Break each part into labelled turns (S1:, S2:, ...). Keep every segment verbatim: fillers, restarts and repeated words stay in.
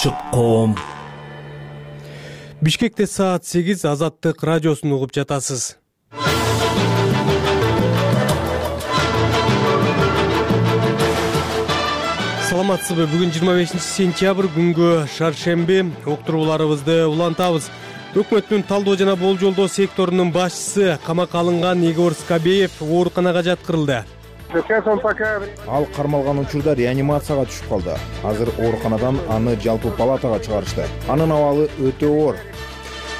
S1: Чыкком. Бишкекте саат сегиз, Азаттык радиосун угуп жатасыз. Саламатсызбы? Бүгүн жыйырма бешинчи сентябрь күнгө шаршемби. Уктурууларыбызды улантабыз. Өкмөттүн талдоо жана болжолдоо секторунун башчысы камакка алынган Игорь Скобеев ооруканага жаткырылды.
S2: Ал кармалган учурда реанимацияга түшүп калды. Азыр ооруканадан аны жалпы палатага чыгарышты. Анын абалы өтө оор.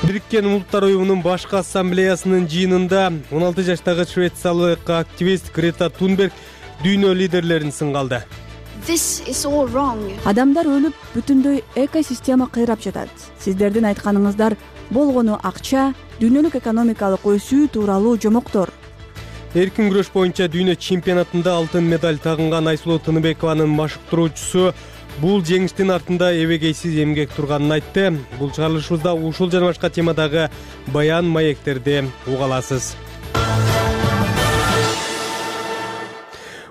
S1: Бириккен Улуттар уюмунун башкы ассамблеясынын жыйынында он алты жаштагы швециялык активист Грета Тунберг дүйнө лидерлерин сынга алды.
S3: Адамдар өлүп, бүтүндөй экосистема кыйрап жатат. Сиздердин айтканыңыздар болгону акча, дүйнөлүк экономикалык өсүү тууралуу жомоктор.
S1: Эркин күрөш боюнча дүйнө чемпионатында алтын медаль тагынган Айсулуу Тыныбекованын машыктыруучусу бул жеңиштин артында эбегейсиз эмгек турганын айтты. Бул чыгарылышыбызда ушул жана башка темадагы баян маектерди уга аласыз.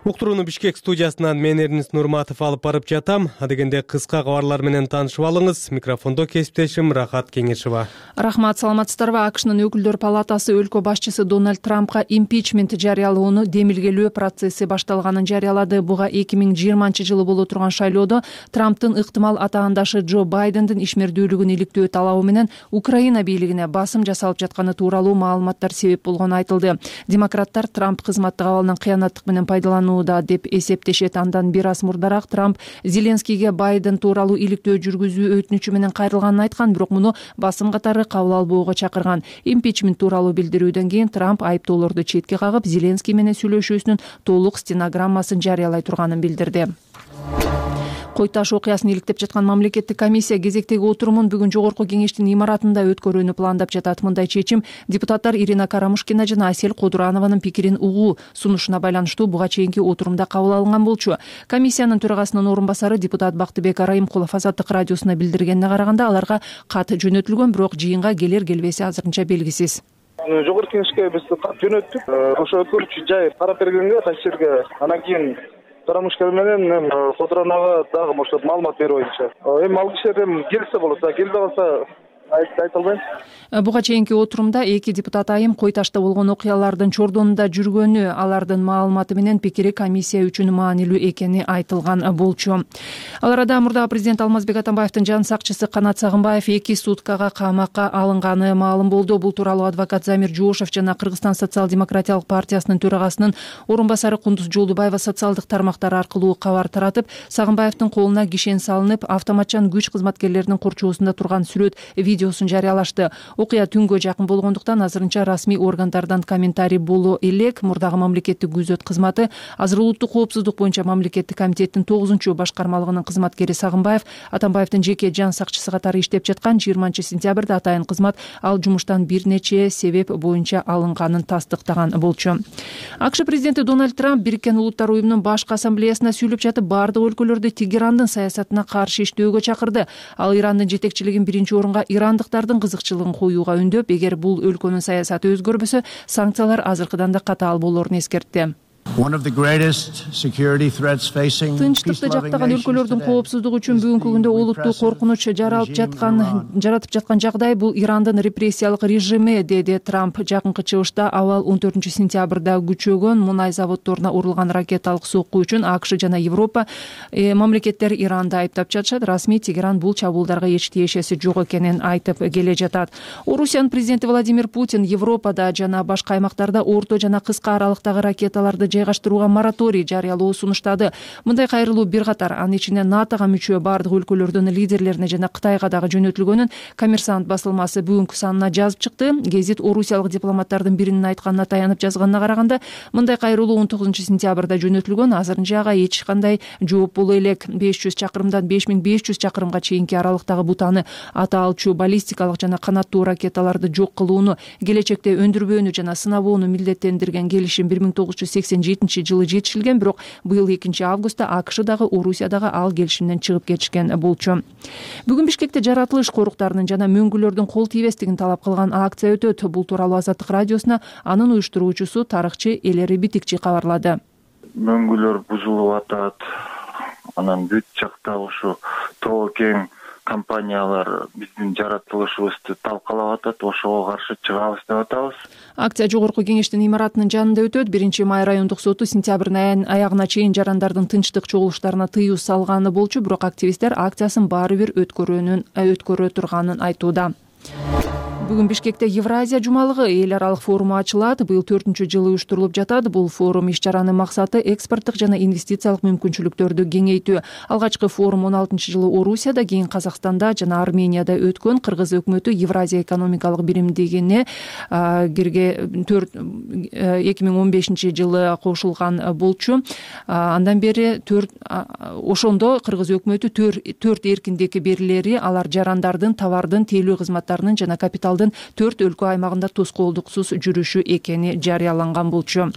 S1: Уктурууну Бишкек студиясынан мен Эрнис Нурматов алып барып жатам. Адегенде кыска кабарлар менен таанышып алыңыз. Микрофондо кесиптешим Рахат Кеңешова.
S4: Рахмат, саламатсыздарбы? АКШнын өкүлдөр палатасы өлкө башчысы Дональд Трампка импичмент жарыялоону демилгелөө процесси башталганын жарыялады. Буга эки миң жыйырманчы жылы боло турган шайлоодо Трамптын ыктымал атаандашы Джо Байдендин ишмердүүлүгүн иликтөө талабы менен Украина бийлигине басым жасалып жатканы тууралуу маалыматтар себеп болгону айтылды. Демократтар Трамп кызматтык абалынан кыянаттык менен пайдалануу деп эсептешет. Андан бир аз мурдараак Трамп Зеленскийге Байден тууралуу иликтөө жүргүзүү өтүнүчү менен кайрылганын айткан, бирок муну басым катары кабыл албоого чакырган. Импичмент тууралуу билдирүүдөн кийин Трамп айыптоолорду четке кагып, Зеленский менен сүйлөшүүсүнүн толук стенограммасын жарыялай турганын билдирди. Кой таш окуясын иликтеп жаткан мамлекеттик комиссия кезектеги отурумун бүгүн жогорку кеңештин имаратында өткөрүүнү пландап жатат. Мындай чечим депутаттар Ирина Карамушкина жана Асель Кодуранованын пикирин угуу сунушуна байланыштуу буга чейинки отурумда кабыл алынган болчу. Комиссиянын төрагасынын орун басары депутат Бактыбек Арайымкулов Азаттык радиосуна билдиргенине караганда, аларга кат жөнөтүлгөн, бирок жыйынга келер келбеси азырынча белгисиз.
S5: Жогорку кеңешке биз кат жөнөттүк. Ошо өткөрүүчү жай карап бергенге, ташкерге, анан кийин Карамушкина менен Кодуранова дагы ошо маалымат берүү боюнча. Эми ал кишилер эми келсе болот, келбей калса айта албайм.
S4: Буга чейинки отурумда эки депутат айым Кой ташта болгон окуялардын чордонунда жүргөнү, алардын маалыматы менен пикири комиссия үчүн маанилүү экени айтылган болчу. Ал арада мурдагы президент Алмазбек Атамбаевдин жан сакчысы Канат Сагынбаев эки суткага камакка алынганы маалым болду. Бул тууралуу адвокат Замир Жошов жана Кыргызстан социал-демократиялык партиясынын төрагасынын орун басары Кундуз Жолдубаева социалдык тармактар аркылуу кабар таратып, Сагынбаевдин колуна кишен салынып, автоматчан күч кызматкерлеринин корчоосунда турган сүрөт видеосун жарыялашты. Окуя түнгө жакын болгондуктан азырынча расмий органдардан комментарий боло элек. Мурдагы мамлекеттик күзөт кызматы азыр улуттук коопсуздук боюнча мамлекеттик комитеттин тогузунчу башкармалыгынын кызматкери Сагынбаев Атамбаевдин жеке жан сакчысы катары иштеп жаткан. жыйырманчы сентябрда атайын кызмат ал жумуштан бир нече себеп боюнча алынганын тастыктаган болчу. АКШ президенти Дональд Трамп Бириккен Улуттар уюмунун башкы ассамблеясына сүйлөп жатып, бардык өлкөлөрдү Тегерандын саясатына каршы иштөөгө чакырды. Ал Ирандын жетекчилигин биринчи орунга ирандыктардын кызыкчылыгын коюуга үндөп, эгер бул өлкөнүн саясаты өзгөрбөсө, санкциялар азыркыдан да катаал болорун эскертти. Тынчтыкты жактаган өлкөлөрдүн коопсуздугу үчүн бүгүнкү күндө олуттуу коркунуч жаралып жаткан жаратып жаткан жагдай бул Ирандын репрессиялык режими, деди Трамп. Жакынкы чыгышта абал он төртүнчү сентябрда күчөгөн мунай заводдоруна урулган ракеталык сокку үчүн АКШ жана Европа э, мамлекеттер Иранды айыптап жатышат. Расмий Тегеран бул чабуулдарга эч тиешеси жок экенин айтып келе жатат. Орусиянын президенти Владимир Путин Европада жана башка аймактарда орто жана кыска аралыктагы ракеталарды жайгаштырууга мораторий жарыялоо сунуштады. Мындай кайрылуу бир катар, анын ичинде НАТОга мүчө бардык өлкөлөрдүн лидерлерине жана Кытайга дагы жөнөтүлгөнүн Коммерсант басылмасы бүгүнкү санына жазып чыкты. Гезит орусиялык дипломаттардын биринин айтканына таянып жазганына караганда, мындай кайрылуу он тогузунчу сентябрда жөнөтүлгөн, азырынча ага эч кандай жооп боло элек. беш жүз чакырымдан беш миң беш жүз чакырымга чейинки аралыктагы бутаны ата алчу баллистикалык жана канаттуу ракеталарды жок кылууну, келечекте өндүрбөөнү жана сынабоону милдеттендирген келишим бир миң тогуз жүз сексен жетинчи жылы жетишилген, бирок быйыл экинчи августта АКШ дагы Орусия дагы ал келишимден чыгып кетишкен болчу. Бүгүн Бишкекте жаратылыш коруктарынын жана мөңгүлөрдүн кол тийбестигин талап кылган акция өтөт. Бул тууралуу Азаттык радиосуна анын уюштуруучусу тарыхчы Элери Битикчи кабарлады.
S5: Мөңгүлөр бузулуп атат. Анан бүт жакта ушу тоо кең
S6: компаниялар биздин жаратылышыбызды талкалап атат, ошого каршы чыгабыз деп атабыз.
S4: Акция жогорку кеңештин имаратынын жанында өтөт. Биринчи май райондук соту сентябрдын аягына чейин жарандардын тынчтык чогулуштарына тыюу салганы болчу, бирок активисттер акциясын баары бир өткөрүүнүн өткөрө турганын айтууда. Бүгүн Бишкекте Евразия жумалыгы эл аралык форуму ачылат. Быйыл төртүнчү жылы уюштурулуп жатат. Бул форум иш-чаранын максаты экспорттук жана инвестициялык мүмкүнчүлүктөрдү кеңейтүү. Алгачкы форум он алтынчы жылы Орусияда, кийин Казакстанда жана Арменияда өткөн. Кыргыз өкмөтү Евразия экономикалык биримдигине кирге эки миң он бешинчи жылы кошулган болчу. Андан бери төрт ошондо Кыргыз өкмөтү төрт эркиндик берилери, алар жарандардын, товардын, тейлөө кызматтарынын жана капитал төрт өлкө аймагында тоскоолдуксуз жүрүшү экени жарыяланган болчу.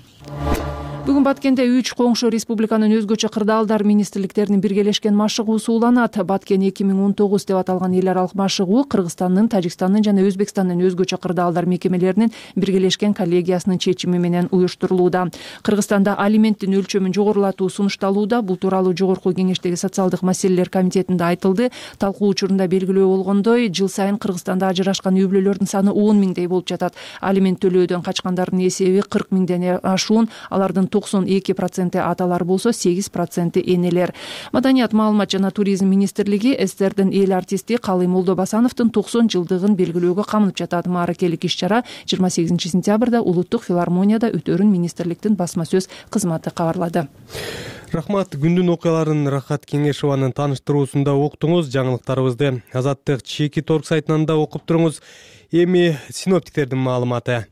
S4: Бүгүн Баткенде үч коңшу республиканын өзгөчө кырдаалдар министрликтеринин биргелешкен машыгуусу уланат. Баткен эки миң он тогуз деп аталган эл аралык машыгуу Кыргызстандын, Тажикстандын жана Өзбекстандын өзгөчө кырдаалдар мекемелеринин биргелешкен коллегиясынын чечими менен уюштурулууда. Кыргызстанда алименттин өлчөмүн жогорулатуу сунушталууда. Бул тууралуу жогорку кеңештеги социалдык маселелер комитетинде айтылды. Талкуу учурунда белгилөө болгондой, жыл сайын Кыргызстанда ажырашкан үй бүлөлөрдүн саны он миңдей болуп жатат. Алимент төлөөдөн качкандардын эсеби кырк миңден ашуун, алардын токсон эки проценти аталар болсо, сегиз проценти энелер. Маданият, маалымат жана туризм министрлиги СССРдин эл артисти Калый Молдобасановдун токсон жылдыгын белгилөөгө камынып жатат. Мааракелик иш-чара жыйырма сегизинчи сентябрда Улуттук филармонияда өтөрүн министрликтин басма сөз кызматы кабарлады.
S1: Рахмат. Күндүн окуяларын Рахат Кеңешованын тааныштыруусунда уктуңуз. Жаңылыктарыбызды Азаттык Чеки торг сайтынан да окуп туруңуз. Эми синоптиктердин маалыматы.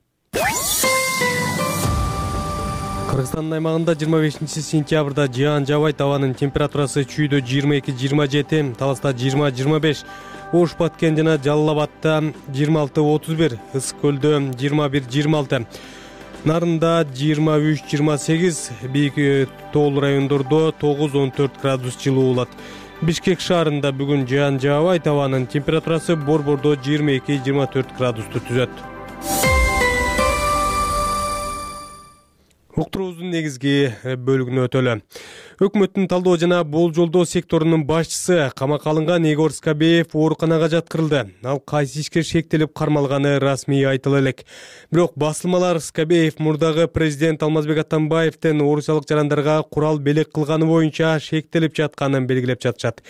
S1: Кыргызстандын аймагында жыйырма бешинчи сентябрда жаан жабайт, абанын температурасы чүйдө жыйырма эки жыйырма жети, Таласта жыйырма жыйырма беш, Ош, Баткен жана Жалал Абадта жыйырма алты отуз бир, Ысык көлдө жыйырма бир жыйырма алты, Нарында жыйырма үч жыйырма сегиз, бийик тоол райондордо тогуз он төрт градус жылуу болот. Бишкек шаарында бүгүн жаан жаабайт, абанын температурасы Борбордо жыйырма эки жыйырма төрт градусту түзөт. Уктуруубуздун негизги бөлүгүнө өтөлү. Өкмөттүн талдоо жана болжолдоо секторунун башчысы камакка алынган Егор Скобеев ооруканага жаткырылды. Ал кайсы ишке шектелип кармалганы расмий айтыла элек. Бирок басылмалар Скобеев мурдагы президент Алмазбек Атамбаевдин орусиялык жарандарга курал белек кылганы боюнча шектелип жатканын белгилеп жатышат.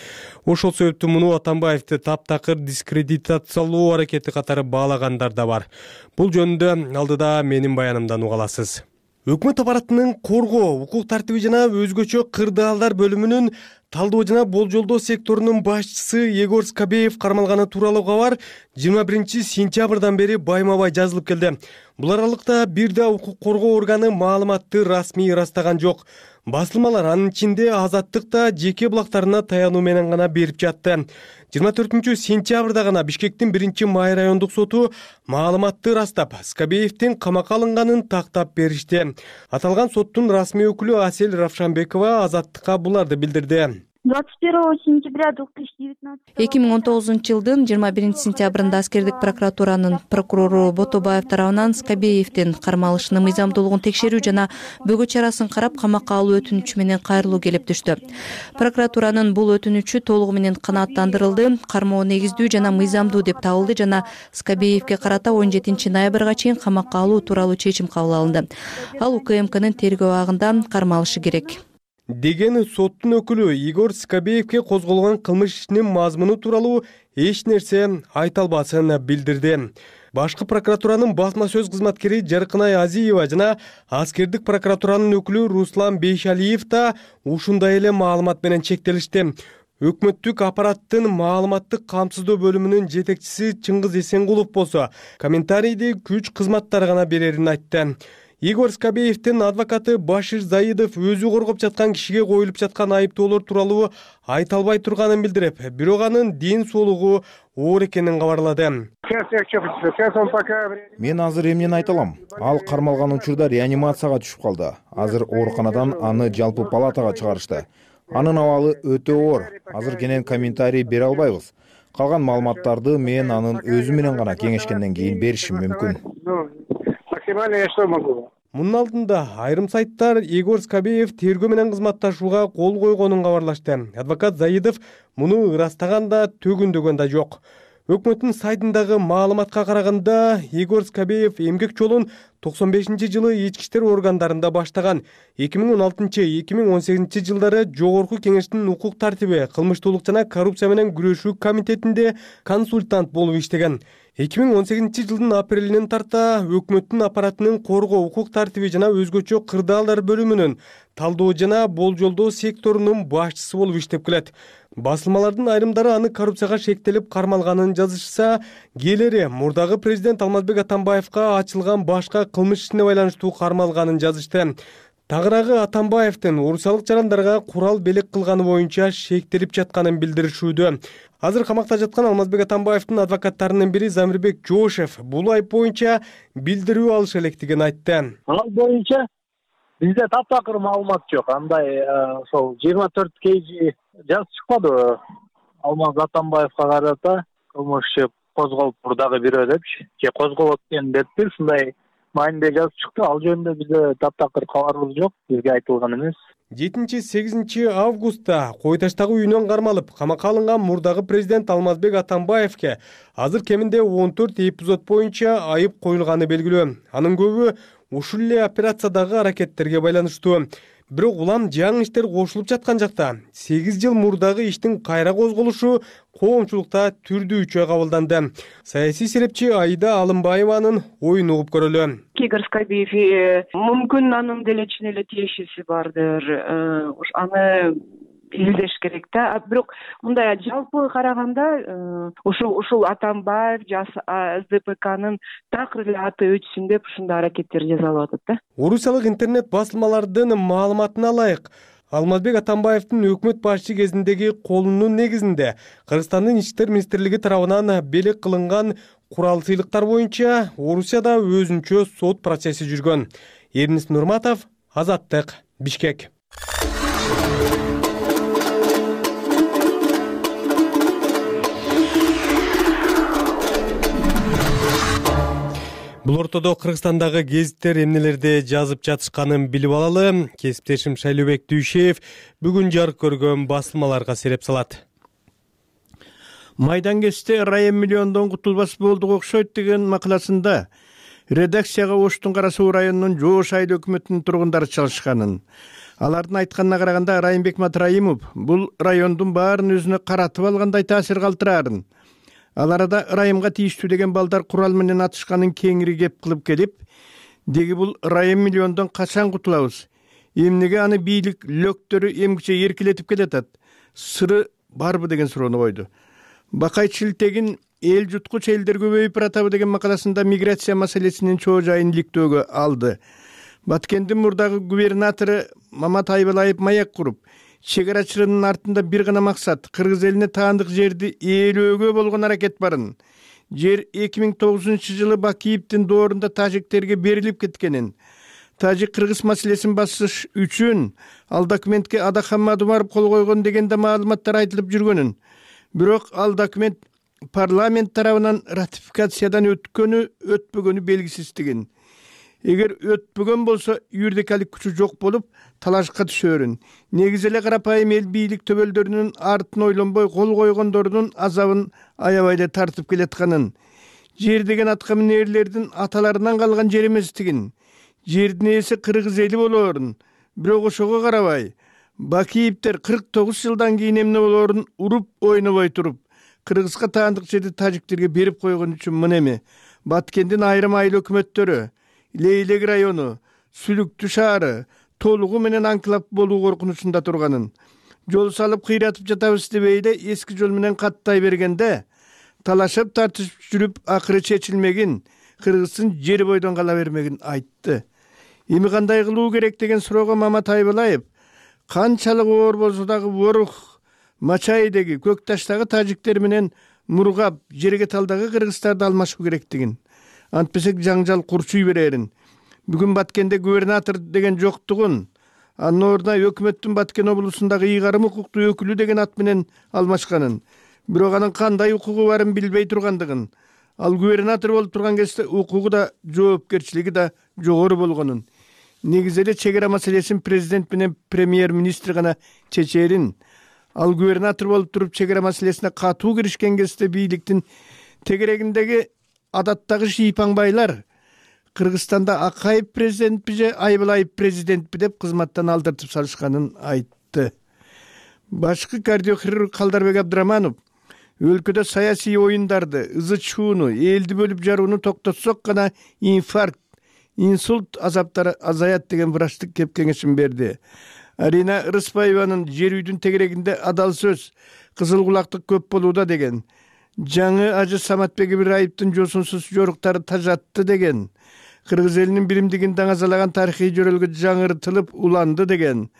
S1: Ошол себептен муну Атамбаевди таптакыр дискредитациялоо аракети катары баалагандар да бар. Бул жөнүндө алдыда менин баянымдан уга аласыз. Өкмөт аппаратынын коргоо, укук тартиби жана өзгөчө кырдаалдар бөлүмүнүн талдоо жана болжолдоо секторунун башчысы Егор Скобеев кармалганы тууралуу кабар жыйырма биринчи сентябрдан бери байма-бай жазылып келди. Бул аралыкта бир да укук коргоо органы маалыматты расмий ырастаган жок. Басылмалар анын ичинде Азаттык да жеке булактарына таянуу менен гана берип жатты. жыйырма төртүнчү сентябрда гана Бишкектин биринчи май райондук соту маалыматты ырастап, Скобеевдин камакка алынганын тактап беришти. Аталган соттун расмий өкүлү Асель Равшанбекова Азаттыкка буларды билдирди.
S7: двадцать первого сентября две тысячи девятнадцатого
S8: эки миң он тогузунчу жылдын жыйырма биринчи сентябрында аскердик прокуратуранын прокурору Ботобаев тарабынан Скобеевдин кармалышынын мыйзамдуулугун текшерүү жана бөгөө чарасын карап камакка алуу өтүнүчү менен кайрылуу келип түштү. Прокуратуранын бул өтүнүчү толугу менен канааттандырылды, кармоо негиздүү жана мыйзамдуу деп табылды жана Скобеевге карата он жетинчи ноябрга чейин камакка алуу тууралуу чечим кабыл алынды. Ал УКМКнын тергөө абагында кармалышы керек
S1: деген соттун өкүлү Егор Скобеевге козголгон кылмыш ишинин мазмуну тууралуу эч нерсе айта албасын билдирди. Башкы прокуратуранын басма сөз кызматкери Жаркынай Азиева жана аскердик прокуратуранын өкүлү Руслан Бейшалиев да ушундай эле маалымат менен чектелишти. Өкмөттүк аппараттын маалыматтык камсыздоо бөлүмүнүн жетекчиси Чыңгыз Эсенгулов болсо комментарийди күч кызматтары гана берерин айтты. Егор Скобеевдин адвокаты Башир Заидов өзү коргоп жаткан кишиге коюлуп жаткан айыптоолор тууралуу айта албай турганын билдирип, бирок анын ден соолугу оор экенин кабарлады.
S2: Мен азыр эмнени айта алам? Ал кармалган учурда реанимацияга түшүп калды. Азыр ооруканадан аны жалпы палатага чыгарышты. Анын абалы өтө оор. Азыр кенен комментарий бере албайбыз. Калган маалыматтарды мен анын өзү менен гана кеңешкенден кийин беришим мүмкүн.
S1: Мунун алдында айрым сайттар Егор Скобеев тергөө менен кызматташууга кол койгонун кабарлашты. Адвокат Заидов муну ырастаган да төгүндөгөн да жок. Өкмөттүн сайтындагы маалыматка караганда Егор Скобеев эмгек жолун токсон бешинчи жылы ички иштер органдарында баштаган. эки миң он алтынчы — эки миң он сегизинчи жылдары Жогорку Кеңештин укук тартиби, кылмыштуулук жана коррупция менен күрөшүү комитетинде консультант болуп иштеген. эки миң он сегизинчи жылдын апрелинен тарта өкмөттүн аппаратынын коргоо, укук тартиби жана өзгөчө кырдаалдар бөлүмүнүн талдоо жана болжолдоо секторунун башчысы болуп иштеп келет. Басылмалардын айрымдары аны коррупцияга шектелип кармалганын жазышса, кээлери мурдагы президент Алмазбек Атамбаевка ачылган башка кылмыш ишине байланыштуу кармалганын жазышты. Тагыраагы Атамбаевдин орусиялык жарандарга курал белек кылганы боюнча шектелип жатканын билдиришүүдө. Азыр камакта жаткан Алмазбек Атамбаевдин адвокаттарынын бири Замирбек Жошев бул айып боюнча билдирүү алыша электигин айтты.
S9: Ал боюнча бизде таптакыр маалымат жок. Андай ошол жыйырма төрт кж жазып чыкпады Алмаз Атамбаевга карата кылмыш иши козголуптур дагы бирөө депчи, же козголот экен депти. Ушундай маанидеги жазып чыкты. Ал жөнүндө бизде таптакыр кабарыбыз жок, бизге айтылган эмес.
S1: жетинчи — сегизинчи августта кой таштагы үйүнөн кармалып камакка алынган мурдагы президент Алмазбек Атамбаевке азыр кеминде он төрт эпизод боюнча айып коюлганы белгилүү. Анын көбү ушул эле операциядагы аракеттерге байланыштуу. Бирок улам жаңы иштер кошулуп жаткан жакта сегиз жыл мурдагы иштин кайра козголушу коомчулукта түрдүүчө кабылданды. Саясий серепчи Аида Алымбаеванын оюн угуп көрөлү.
S10: Егор Скобеев мүмкүн анын деле чын эле тиешеси бардыр. Аны изилдеш керек да. Бирок мындай жалпы караганда ушул ушул Атамбаев эс дэ пэ кнын такыр эле аты өчсүн деп ушундай аракеттер жасалып атат да.
S1: Орусиялык интернет басылмалардын маалыматына ылайык, Алмазбек Атамбаевдин өкмөт башчы кезиндеги колунун негизинде Кыргызстандын ички иштер министрлиги тарабынан белек кылынган курал сыйлыктар боюнча Орусияда өзүнчө сот процесси жүргөн. Эрнис Нурматов, Азаттык, Бишкек. Бул ортодо Кыргызстандагы гезиттер эмнелерде жазып жатышканын билип алалы. Кесиптешим Шайлообек Дүйшеев бүгүн жарык көргөн басылмаларга сереп салат.
S11: Майдан кесте райым миллиондон кутулбас болдук окшойт деген макаласында редакцияга Оштун Кара Суу районунун Жоош айыл өкмөтүнүн тургундары чалышканын, алардын айтканына караганда Райымбек Матраимов бул райондун баарын өзүнө каратып алгандай таасир калтыраарын, ал арада Райымга тийиштүү деген балдар курал менен атышканын кеңири кеп кылып келип, деги бул райым миллиондон качан кутулабыз, эмнеге аны бийлик лөктөрү эмгиче эркелетип келатат, сыры барбы деген суроону койду. Бакай Чилтегин эл жуткуч элдер көбөйүп баратабы деген макаласында миграция маселесинин чоо жайын иликтөөгө алды. Баткендин мурдагы губернатору Мамат Айбалаев маяк куруп, чегарачыларынын артында бир гана максат — кыргыз элине таандык жерди ээлөөгө болгон аракет барын. Жер эки миң тогузунчу жылы Бакиевдин доорунда тажиктерге берилип кеткенин, тажик-кыргыз маселесин басыш үчүн ал документке Адахан Мадумаров кол койгон деген да маалыматтар айтылып жүргөнүн. Бирок ал документ парламент тарабынан ратификациядан өткөнү өтпөгөнү белгисиздигин. Эгер өтпөгөн болсо юридикалык күчү жок болуп талашка түшөрүн. Негизи эле карапайым эл бийлик төбөлдөрүнүн артын ойлонбой кол койгондордун азабын аябай эле тартып келатканын, жер деген атка минерлердин аталарынан калган жер эместигин, жердин ээси кыргыз эли болоорун, бирок ошого карабай Бакиевдер кырк тогуз жылдан кийин эмне болоорун уруп ойнобой туруп, кыргызга таандык жерди тажиктерге берип койгон үчүн мынеме Баткендин айрым айыл өкмөттөрү, Лейлек району, Сүлүктү шаары толугу менен анклав болуу коркунучунда турганын, жол салып кыйратып жатабыз дебейде эски жол менен каттай бергенде талашып тартышып жүрүп акыры чечилмегин, кыргыздын жери бойдон кала бермегин айтты. Эми кандай кылуу керек деген суроого Мамат Айбалаев канчалык оор болсо дагы Борух, Мачайдеги, Көк Таштагы тажиктер менен Мургап, Жерегеталдагы кыргыздарды алмашуу керектигин, антпесек жаңжал курчуй берерин, бүгүн Баткенде губернатор деген жоктугун, анын ордуна өкмөттүн Баткен облусундагы ыйгарым укуктуу өкүлү деген ат менен алмашканын, бирок анын кандай укугу барын билбей тургандыгын, ал губернатор болуп турган кезде укугу да жоопкерчилиги да жогору болгонун, негизи эле чек ара маселесин президент менен премьер министр гана чечерин. Ал губернатор болуп туруп чек ара маселесине катуу киришкен кезде бийликтин тегерегиндеги адаттагы шийпаңбайлар Кыргызстанда Акаев президентпи же Айбылаев президентпи деп кызматтан алдыртып салышканын айтты. Башкы кардиохирург Калдарбек Абдыраманов өлкөдө саясий оюндарды, ызы чууну, элди бөлүп жарууну токтотсок гана инфаркт, инсульт азаптары азаят деген врачтык кеп кеңешин берди. Арина Рыспаеванын жер үйдүн тегерегинде адал сөз, кызыл кулактык көп болууда деген. Жаңы ажы Саматбек Ибраевдин жосунсуз жоруктары тажатты деген. Кыргыз элинин биримдигин даңазалаган тарыхый жөрөлгө жаңыртылып уланды деген.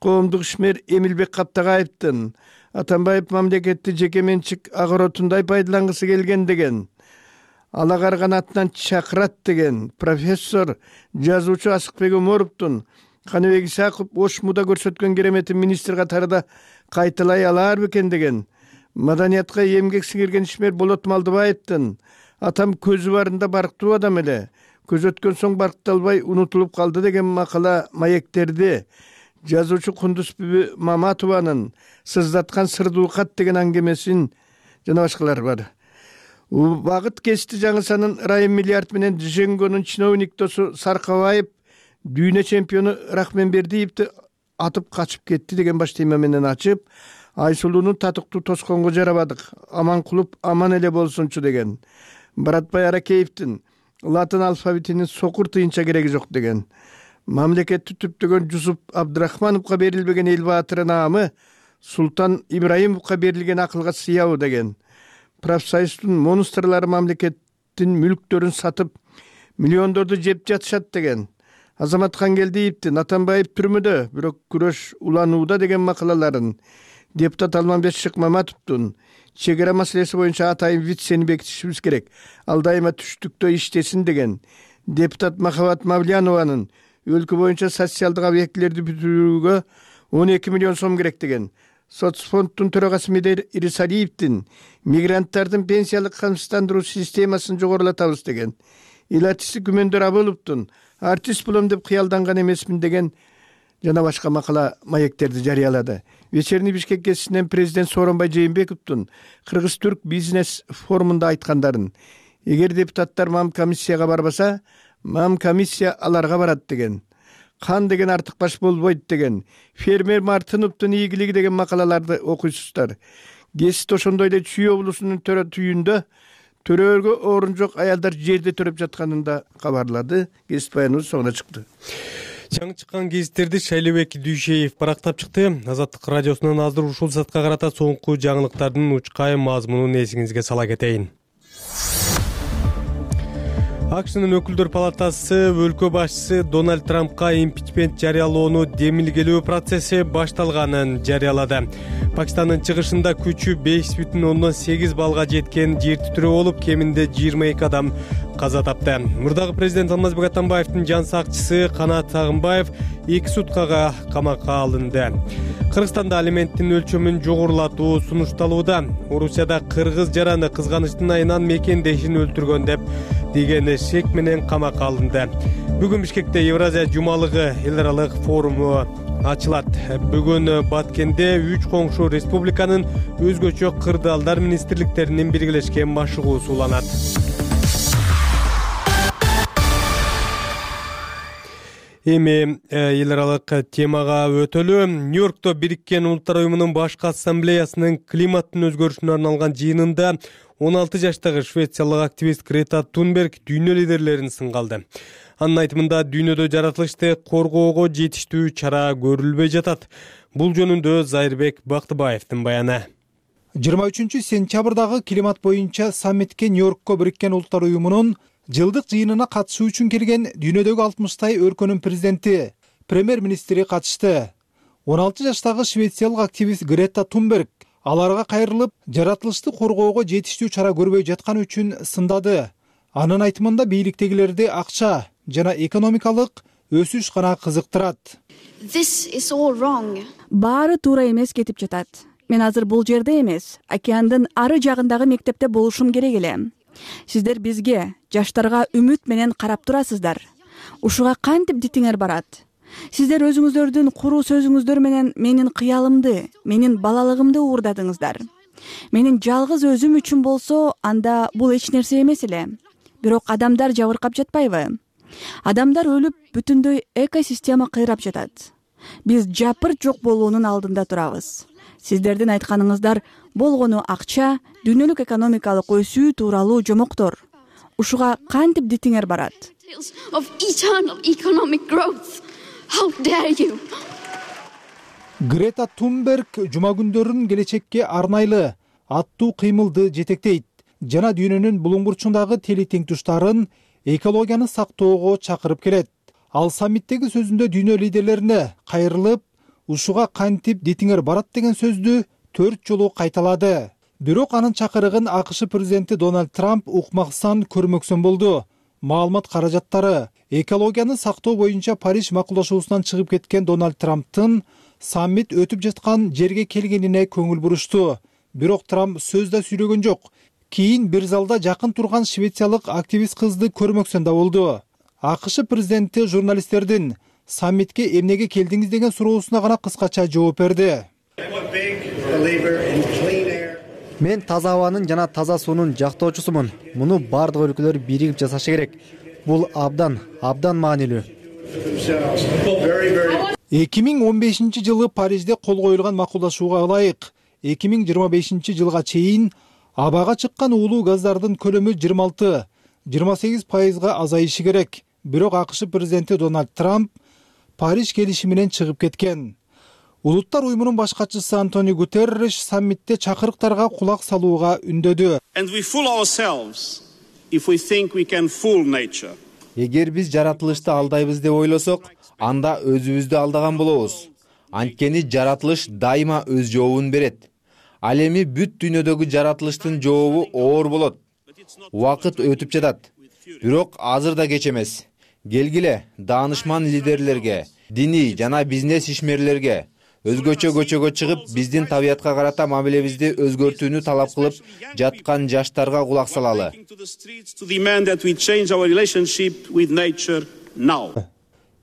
S11: Коомдук ишмер Эмилбек Каптагаевдин Атамбаев мамлекетти жеке менчик агоротундай пайдалангысы келген деген. Ала карганатынан чакырат деген. Профессор, жазуучу Асыкбек Оморовдун Каныбек Исаков Ош муда көрсөткөн кереметин министр катарында кайталай алар бекен деген. Маданиятка эмгек сиңирген ишмер Болот Малдыбаевдин атам көзү барында барктуу адам эле. Көз өткөн соң баркталбай унутулуп калды деген макала маектерди. Жазуучу Кундузбүбү Маматованын сыздаткан сырдуу кат деген аңгемесин жана башкалар бар. Убагыт кести жаңысанын Райым Миллиард менен Жеңгөнүн чиновник досу Саркабаев дүйнө чемпиону Рахменбердиевди атып качып кетти деген баш тема менен ачып, Айсулууну татыктуу тосконго жарабадык, Аманкулов аман эле болсунчу деген. Баратбай Аракеевдин латын алфавитинин сокур тыйынча кереги жок деген. Мамлекетти түптөгөн Жусуп Абдрахмановго берилбеген эл баатыры наамы Султан Ибраимовго берилген акылга сыябы деген. Профсоюздун монстрлары мамлекеттин мүлктөрүн сатып, миллиондорду жеп жатышат деген. Азамат Хангелдиевдин Атамбаев түрмөдө, бирок күрөш уланууда деген макалаларын, депутат Алмамбет Шыкмаматовдун чек ара маселеси боюнча атайын вицени бекитишибиз керек, ал дайыма түштүктө иштесин деген. Депутат Махабат Мавлянованын өлкө боюнча социалдык объектилерди бүтүрүүгө он эки миллион сом керек деген. Соцфонддун төрагасы Медер Ирисалиевдин мигранттардын пенсиялык камсыздандыруу системасын жогорулатабыз деген. Илатчысы Күмөндөр Абыловдун артист болом деп кыялданган эмесмин деген жана башка макала маектерди жарыялады. Вечерний Бишкек гезитинен президент Сооронбай Жээнбековдун Кыргыз-Түрк бизнес форумунда айткандарын, эгер депутаттар мам комиссияга барбаса, мам комиссия аларга барат деген. Кан деген артык баш болбойт деген. Фермер Мартыновдун ийгилиги деген макалаларды окуйсуздар. Гезит ошондой эле Чүй облусунун төрө түйүндө төрөөгө орун жок аялдар жерде төрөп жатканын да кабарлады. Гезит баяныбыз соңуна чыкты.
S1: Жаңы чыккан гезиттерди Шайлебек Дүйшеев барактап чыкты. Азаттык радиосунан азыр ушул саатка карата соңку жаңылыктардын учкай мазмунун эсиңизге сала кетейин. АКШнын өкүлдөр палатасы өлкө башчысы Дональд Трампка импичмент жарыялоону демилгелөө процесси башталганын жарыялады. Пакистандын чыгышында күчү беш бүтүн ондон сегиз баллга жеткен жер титирөө болуп, кеминде жыйырма эки адам каза тапты. Мурдагы президент Алмазбек Атамбаевдин жан сакчысы Канат Сагынбаев эки суткага камакка алынды. Кыргызстанда алименттин өлчөмүн жогорулатуу сунушталууда. Орусияда кыргыз жараны кызганычтын айынан мекендешин өлтүргөн деп деген шек менен камакка алынды. Бүгүн Бишкекте Евразия жумалыгы эл аралык форуму ачылат. Бүгүн Баткенде үч коңшу республиканын өзгөчө кырдаалдар министрликтеринин биргелешкен машыгуусу уланат. Эми эл аралык темага өтөлү. Нью-Йоркто Бириккен Улуттар уюмунун башкы ассамблеясынын климаттын өзгөрүшүнө арналган жыйынында он алты жаштагы швециялык активист Грета Тунберг дүйнө лидерлерин сынга алды. Анын айтымында дүйнөдө жаратылышты коргоого жетиштүү чара көрүлбөй жатат. Бул жөнүндө Зайырбек Бактыбаевдин баяны.
S12: жыйырма үчүнчү сентябрдагы климат боюнча саммитке Нью-Йоркко Бириккен Улуттар уюмунун жылдык жыйынына катышуу үчүн келген дүйнөдөгү алтымыштай өлкөнүн президенти, премьер-министри катышты. он алты жаштагы швециялык активист Грета Тунберг аларга кайрылып, жаратылышты коргоого жетиштүү чара көрбөй жатканы үчүн сындады. Анын айтымында бийликтегилерди акча жана экономикалык өсүш гана кызыктырат.
S3: Баары туура эмес кетип жатат. Мен азыр бул жерде эмес, океандын ары жагындагы мектепте болушум керек эле. Сиздер бизге, жаштарга үмүт менен карап турасыздар. ушуга кантип дитиңер барат? Сиздер өзүңүздөрдүн куруу сөзүңүздөр менен менин кыялымды, менин балалыгымды уурдадыңыздар. Менин жалгыз өзүм үчүн болсо, анда бул эч нерсе эмес эле. Бирок адамдар жабыркап жатпайбы? Адамдар өлүп, бүтүндөй экосистема кыйрап жатат. Биз жапырт жок болуунун алдында турабыз. Сиздердин айтканыңыздар болгону акча, дүйнөлүк экономикалык өсүү тууралуу жомоктор. Ушуга кантип дитиңер барат?
S12: Грета Тунберг жума күндөрүн келечекке арнайлы аттуу кыймылды жетектейт жана дүйнөнүн булуң бурчундагы тели тең туштарын экологияны сактоого чакырып келет. Ал саммиттеги сөзүндө дүйнө лидерлерине кайрылып, ушуга кантип дитиңер барат деген сөздү төрт жолу кайталады. Бирок анын чакырыгын АКШ президенти Дональд Трамп укмаксан көрмөксөн болду. Маалымат каражаттары экологияны сактоо боюнча Париж макулдашуусунан чыгып кеткен Дональд Трамптын саммит өтүп жаткан жерге келгенине көңүл бурушту. Бирок Трамп сөз да сүйлөгөн жок. Кийин бир залда жакын турган швециялык активист кызды көрмөксөн да болду. АКШ президенти журналисттердин саммитке эмнеге келдиңиз деген суроосуна гана кыскача жооп берди.
S13: Мен таза абанын жана таза суунун жактоочусумун. Муну бардык өлкөлөр биригип жасашы керек. Бул абдан, абдан маанилүү.
S12: эки миң он бешинчи жылы Парижде кол коюлган макулдашууга ылайык эки миң жыйырма бешинчи жылга чейин абага чыккан уулуу газдардын көлөмү жыйырма алты жыйырма сегиз пайызга азайышы керек. Бирок АКШ президенти Дональд Трамп Париж келишиминен чыгып кеткен. Улуттар уюмунун баш катчысы Антонио Гутерриш саммитте чакырыктарга кулак салууга үндөдү.
S2: Эгер биз жаратылышты алдайбыз деп ойлосок, анда өзүбүздү алдаган болобуз. Анткени жаратылыш дайыма өз жообун берет. Ал эми бүт дүйнөдөгү жаратылыштын жообу оор болот. Убакыт өтүп жатат. Бирок азыр да кеч эмес. Келгиле даанышман лидерлерге, диний жана бизнес ишмерлерге өзгөчө көчөгө чыгып, биздин табиятка карата мамилебизди өзгөртүүнү талап кылып жаткан жаштарга кулак салалы.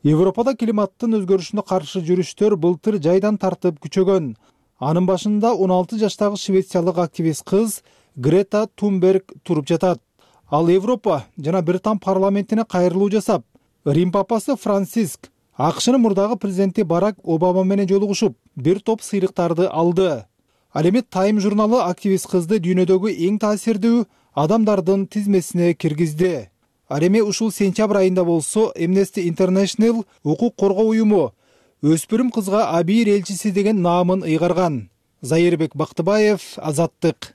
S12: Европада климаттын өзгөрүшүнө каршы жүрүштөр былтыр жайдан тартып күчөгөн. Анын башында он алты жаштагы швециялык активист кыз Грета Тунберг туруп жатат. Ал Европа жана Британ парламентине кайрылуу жасап, Рим папасы Франциск АКШнын мурдагы президенти Барак Обама менен жолугушуп, бир топ сыйлыктарды алды. Ал эми Time журналы активист кызды дүйнөдөгү эң таасирдүү адамдардын тизмесине киргизди. Ал эми ушул сентябрь айында болсо Amnesty International укук коргоо уюму өспүрүм кызга Абийир элчиси деген наамын ыйгарган. Зайырбек Бактыбаев, Азаттык.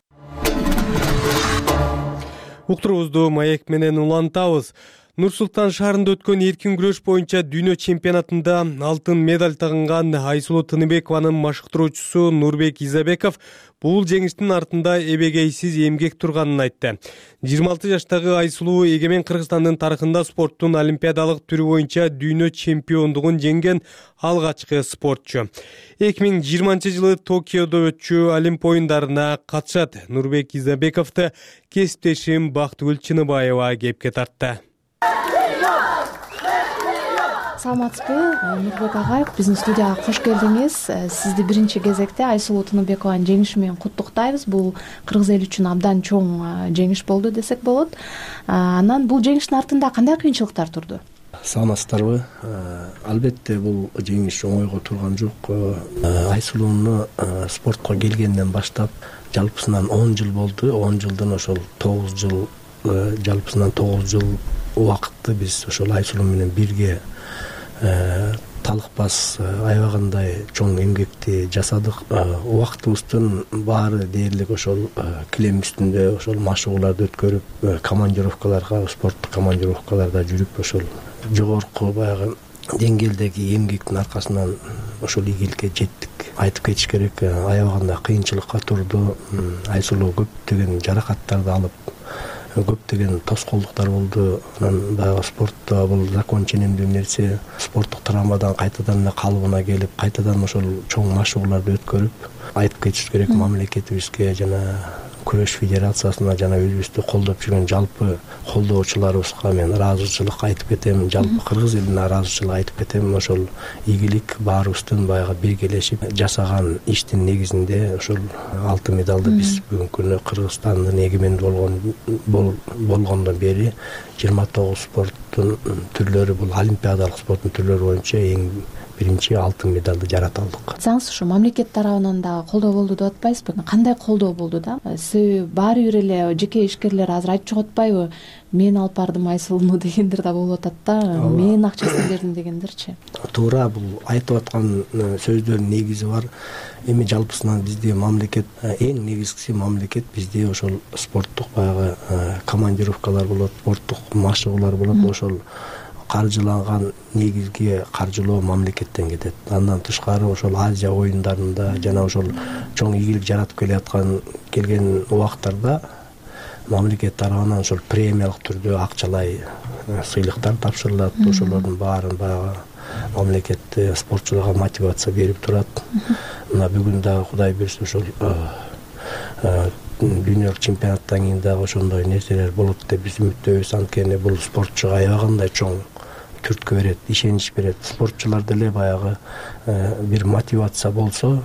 S1: Уктуруубузду маек менен улантабыз. Нур-Султан шаарында өткөн эркин күрөш боюнча дүйнө чемпионатында алтын медаль тагынган Айсулуу Тыныбекованын машыктыруучусу Нурбек Изабеков бул жеңиштин артында эбегейсиз эмгек турганын айтты. жыйырма алты жаштагы Айсулуу эгемен Кыргызстандын тарыхында спорттун олимпиадалык түрү боюнча дүйнө чемпиондугун жеңген алгачкы спортчу. эки миң жыйырманчы жылы Токиодо өтчү Олимп оюндарына катышат. Нурбек Изабековду кесиптешим Бактыгүл Чыныбаева кепке тартты.
S14: Саламатсызбы, Нурбек агай, биздин студияга кош келдиңиз. Сизди биринчи кезекте Айсулуу Тыныбекованын жеңиши менен куттуктайбыз. Бул кыргыз эли үчүн абдан чоң жеңиш болду десек болот. Анан бул жеңиштин артында кандай кыйынчылыктар турду?
S15: Саламатсыздарбы? Албетте бул жеңиш оңойго турган жок. Айсулууну спортко келгенден баштап жалпысынан он жыл болду. он жылдан ошол тогуз жыл, жалпысынан тогуз жыл убакытты биз ошол Айсулуу менен бирге талыкпас аябагандай чоң эмгекти жасадык. Убактыбыздын баары дээрлик ошол килем үстүндө ошол машыгууларды өткөрүп, командировкаларга, спорттук командировкаларда жүрүп, ошол жогорку баягы деңгээлдеги эмгектин аркасынан ошол ийгиликке жеттик. Айтып кетиш керек, аябагында кыйынчылыкка турду. Айсулуу көптөгөн жаракаттарды алып, көптөгөн тоскоолдуктар болду. Анан баягы спортто бул закон ченемдүү нерсе. Спорттук травмадан кайтадан эле калыбына келип, кайтадан ошол чоң машыгууларды өткөрүп, айтып кетиш керек мамлекетибизге жана күрөш федерациясына жана өзүбүздү колдоп жүргөн жалпы колдоочуларыбызга мен ыраазычылык айтып кетем, жалпы кыргыз элине ыраазычылык айтып кетем. Ошол ийгилик баарыбыздын баягы биргелешип жасаган иштин негизинде ошол алтын медалды биз бүгүнкү күнү Кыргызстандын эгемендүү болгон болгондон бери жыйырма тогуз спорттун түрлөрү, бул олимпиадалык спорттун түрлөрү боюнча эң биринчи алтын медалды жарата алдык.
S14: Айтсаңыз, ушу мамлекет тарабынан дагы колдоо болду деп атпайсызбы? Кандай колдоо болду да? Себеби баары бир эле жеке ишкерлер азыр айтып чыгып атпайбы? Мен алып бардым Айсулууну дегендер да болуп атат да. Мен акчасын бердим дегендерчи.
S15: Туура, бул айтып аткан сөздөрдүн негизи бар. Эми жалпысынан бизде мамлекет, эң негизгиси мамлекет бизде ошол спорттук баягы командировкалар болот, спорттук машыгуулар болот, ошол каржыланган негизги каржылоо мамлекеттен кетет. Андан тышкары ошол Азия оюндарында жана ошол чоң ийгилик жаратып келаткан келген убактарда мамлекет тарабынан ошол премиялык түрдө акчалай сыйлыктар тапшырылат. Ошолордун баарын баягы мамлекет спортчуларга мотивация берип турат. Мына бүгүн дагы Кудай берсе ошол дүйнөлүк чемпионаттан кийин дагы ошондой нерселер болот деп биз үмүттөбүз. Анткени бул спортчуга аябагандай чоң түрткү берет, ишенич берет. Спортчулар деле баягы бир мотивация болсо,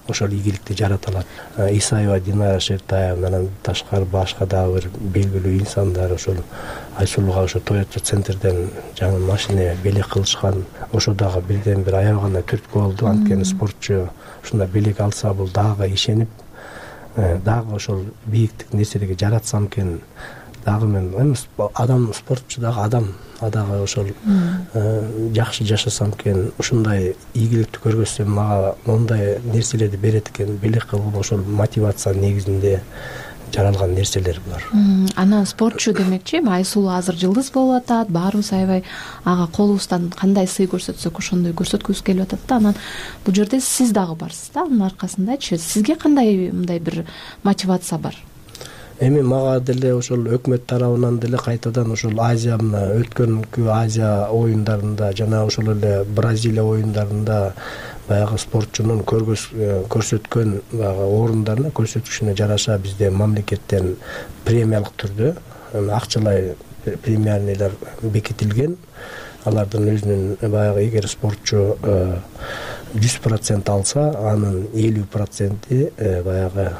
S15: ошол ийгиликти жарата алат. Исаева Динара Шертаевнан ташкары башка дагы бир белгилүү инсандар ошол Айсулууга ошо Toyota центрден жаңы машина белек кылышкан. Ошо дагы бирден бир аябагандай түрткү болду. Анткени спортчу ушундай белек алса, бул дагы ишенип, дагы ошол бийиктик нерселерге жаратсам экен, дагы мен эми адам, спортчу дагы адам, дагы ошол жакшы жашасам экен, ушундай ийгиликти көргөзсөм мага мондай нерселерди берет экен, белек кылып ошол мотивация негизинде жаралган нерселер булар.
S14: Анан спортчу демекчи, Айсулуу азыр жылдыз болуп атат, баарыбыз аябай ага колубуздан кандай сый көрсөтсөк ошондой көрсөткүбүз келип атат да. Анан бул жерде сиз дагы барсыз да, анын аркасындачы сизге кандай мындай бир мотивация бар?
S15: Эми мага деле ошол өкмөт тарабынан деле кайтадан ошол Азия, мына өткөнкү Азия оюндарында жана ошол эле Бразилия оюндарында баягы спортчунун көрсөткөн баягы орундарына, көрсөтүшүнө жараша бизде мамлекеттен премиялык түрдө акчалай премиялар бекитилген. Алардын өзүнүн баягы эгер спортчу жүз процент алса, анын элүү проценти баягы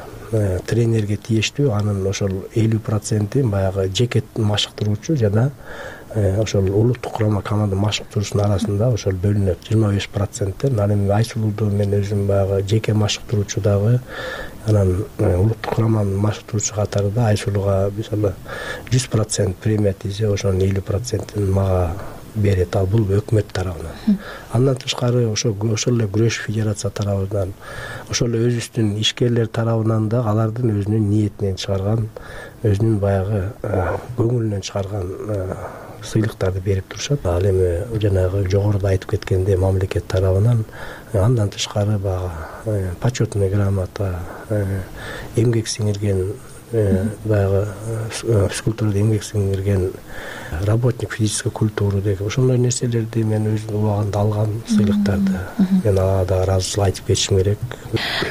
S15: тренерге тийиштүү, анын ошол элүү проценти баягы жеке машыктыруучу жана ошол улуттук курама команда машыктыруучунун арасында ошол бөлүнөт жыйырма беш проценттен. Ал эми Айсулууду мен өзүм баягы жеке машыктыруучу дагы, анан улуттук кураманын машыктыруучу катарында Айсулууга мисалы жүз процент премия тийсе, ошонун элүү процентин мага берет. Ал бул өкмөт тарабынан. Андан тышкары ошо ошол эле күрөш федерация тарабынан, ошол эле өзүбүздүн ишкерлер тарабынан да алардын өзүнүн ниетинен чыгарган, өзүнүн баягы көңүлүнөн чыгарган сыйлыктарды берип турушат. Ал эми жанагы жогоруда айтып кеткенде мамлекет тарабынан, андан тышкары баягы почетный грамота, эмгек сиңирген баягы физкультурада эмгек сиңирген работник физической культуры деген ошондой нерселерди мен өзүм убагында алгам, сыйлыктарды. Мен ага да ыраазычылык айтып кетишим керек.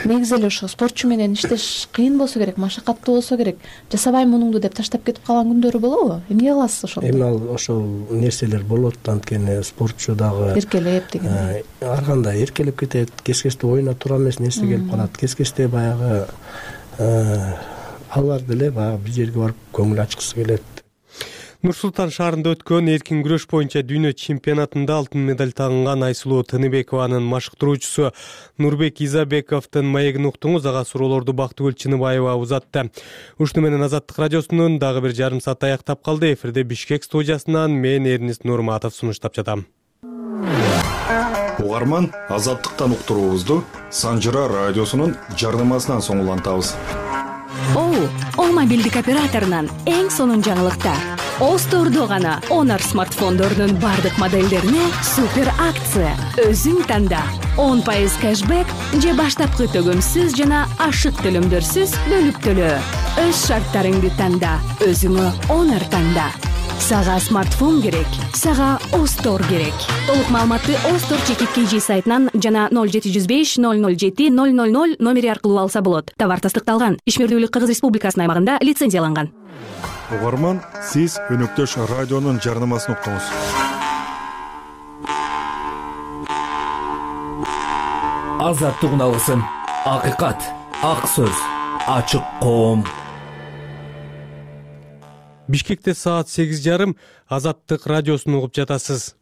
S14: Негизи эле ошо спортчу менен иштеш кыйын болсо керек, машакаттуу болсо керек. Жасабайм мунуңду деп таштап кетип калган күндөрү болобу? Эмне кыласыз ошол?
S15: Эми ал ошол нерселер болот, анткени спортчу дагы
S14: эркелеп деген.
S15: Ар кандай эркелеп кетет, кез-кезде оюна туура эмес нерсе келип калат. Кез-кезде баягы алар деле баягы бир жерге барып көңүл ачкысы келет.
S1: Нур-Султан шаарында өткөн эркин күрөш боюнча дүйнө чемпионатында алтын медаль тагынган Айсулуу Тыныбекованын машыктыруучусу Нурбек Изабековдун маегин уктуңуз. Ага суроолорду Бактыгүл Чыныбаева узатты. Ушуну менен Азаттык радиосунун дагы бир жарым саат аяктап калды. Эфирде Бишкек студиясынан мен Эрнист Нурматов сунуштап жатам.
S16: Угарман, Азаттыктан уктуруубузду Санжыра радиосунун жарнамасынан соң улантабыз.
S17: О, О мобилдик операторунан эң сонун жаңылыктар. О стордо гана Honor смартфондорунун бардык модельдерине супер акция. Өзүң танда. он пайыз кэшбэк же баштапкы төгөмсүз жана ашык төлөмдөрсүз бөлүп төлөө. Өз шарттарыңды танда. Өзүңө Honor танда. Сага смартфон керек, сага Остор керек. Толук маалыматты Остор чекит kg сайтынан жана ноль жети жүз беш ноль ноль жети ноль ноль ноль номери аркылуу алса болот. Товар тастыкталган. Ишмердүүлүк Кыргыз Республикасынын аймагында лицензияланган.
S16: Угарман, сиз өнөктөш радионун жарнамасын уктуңуз.
S18: Азаттык алгысын, акыйкат, ак сөз, ачык коом.
S1: Бишкекте саат сегиз жарым Азаттык радиосун угуп жатасыз.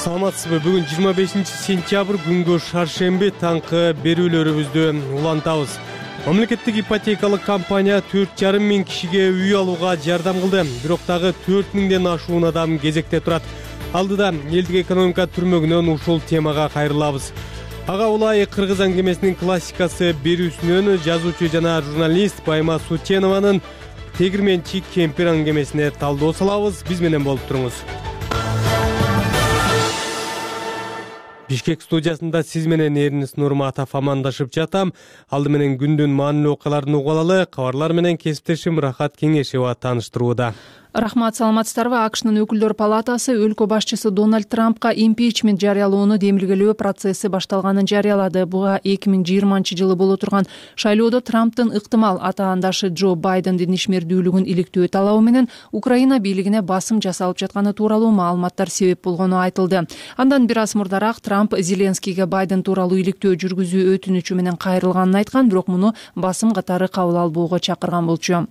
S1: Саламатсызбы? Бүгүн жыйырма бешинчи сентябрь күнгө шаршемби таңкы берүүлөрүбүздү улантабыз. Мамлекеттик ипотекалык компания төрт жарым миң кишиге үй алууга жардам кылды. Бирок дагы төрт миңден ашуун адам кезекте турат. Алдыда элдик экономика түрмөгүнөн ушул темага кайрылабыз. Ага улай Кыргыз аңгемесинин классикасы берүүсүнөн жазуучу жана журналист Байма Сутенованын Тегирменчи кемпир аңгемесине талдоо салабыз. Биз менен болуп туруңуз. Бишкек студиясында сиз менен Эринис Нурматов амандашып жатам. Алды менен күндүн маанилүү окуяларын угуп алалы. Кабарлар менен кесиптешим Рахат Кеңешева тааныштырууда.
S4: Рахмат, саламатсыздарбы? АКШнын өкүлдөр палатасы өлкө башчысы Дональд Трампка импичмент жарыялоону демилгелөө процесси башталганын жарыялады. Буга эки миң жыйырманчы жылы боло турган шайлоодо Трамптын ыктымал атаандашы Джо Байдендин ишмердүүлүгүн иликтөө талабы менен Украина бийлигине басым жасалып жатканы тууралуу маалыматтар себеп болгону айтылды. Андан бир аз мурдараак Трамп Зеленскийге Байден тууралуу иликтөө жүргүзүү өтүнүчү менен кайрылганын айткан, бирок муну басым катары кабыл албоого чакырган болчу.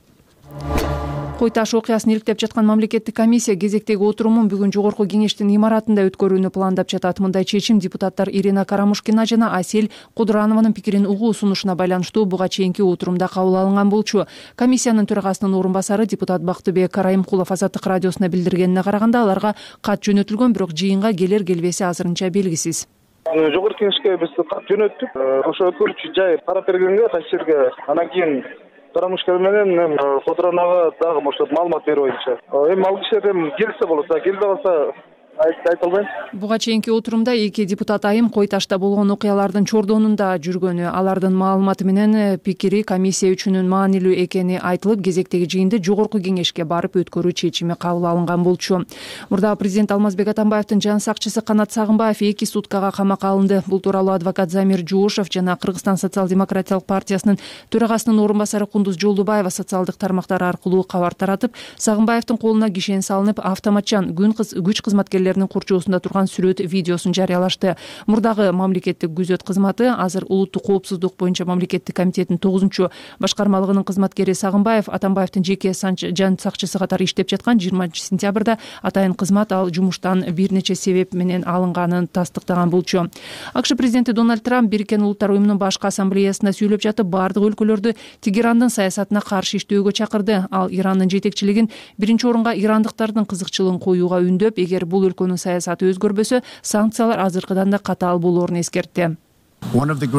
S4: Кой таш окуясын иликтеп жаткан мамлекеттик комиссия кезектеги отурумун бүгүн жогорку кеңештин имаратында өткөрүүнү пландап жатат. Мындай чечим депутаттар Ирина Карамушкина жана Асель Кудранованын пикирин угуу сунушуна байланыштуу буга чейинки отурумда кабыл алынган болчу. Комиссиянын төрагасынын орун басары депутат Бактыбек Карайымкулов Азаттык радиосуна билдиргенине караганда, аларга кат жөнөтүлгөн, бирок жыйынга келер келбеси азырынча белгисиз.
S5: Жогорку кеңешке биз кат жөнөттүк. Ошо өткөрүүчү жай карап бергенге, кайсырга анан кийин Карамушкина менен Кудранова дагы ошо маалымат берүү боюнча. Эми ал кишилер эми келсе болот, келбей калса айта албайм.
S4: Буга чейинки отурумда эки депутат айым Кой ташта болгон окуялардын чордонунда жүргөнү, алардын маалыматы менен пикири комиссия үчүн маанилүү экени айтылып, кезектеги жыйынды жогорку кеңешке барып өткөрүү чечими кабыл алынган болчу. Мурда президент Алмазбек Атамбаевдин жан сакчысы Канат Сагынбаев эки суткага камакка алынды. Бул тууралуу адвокат Замир Жуушев жана Кыргызстан социал-демократиялык партиясынын төрагасынын орун басары Кундуз Жолдубаева социалдык тармактар аркылуу кабар таратып, Сагынбаевдин колуна кишен салынып, автоматчан күч кызматкерлери курчоосунда турган сүрөт видеосун жарыялашты. Мурдагы мамлекеттик күзөт кызматы азыр улуттук коопсуздук боюнча мамлекеттик комитеттин тогузунчу башкармалыгынын кызматкери Сагынбаев Атамбаевдин жеке жан сакчысы катары иштеп жаткан жыйырманчы сентябрда атайын кызмат ал жумуштан бир нече себеп менен алынганын тастыктаган болчу. АКШ президенти Дональд Трамп Бириккен Улуттар уюмунун башкы ассамблеясында сүйлөп жатып, бардык өлкөлөрдү Тегерандын саясатына каршы иштөөгө чакырды. Ал Ирандын жетекчилигин биринчи орунга ирандыктардын кызыкчылыгын коюуга үндөп, эгер бул өлкөнүн саясаты өзгөрбөсө, санкциялар азыркыдан да катаал болоорун эскертти. Тынчтыкты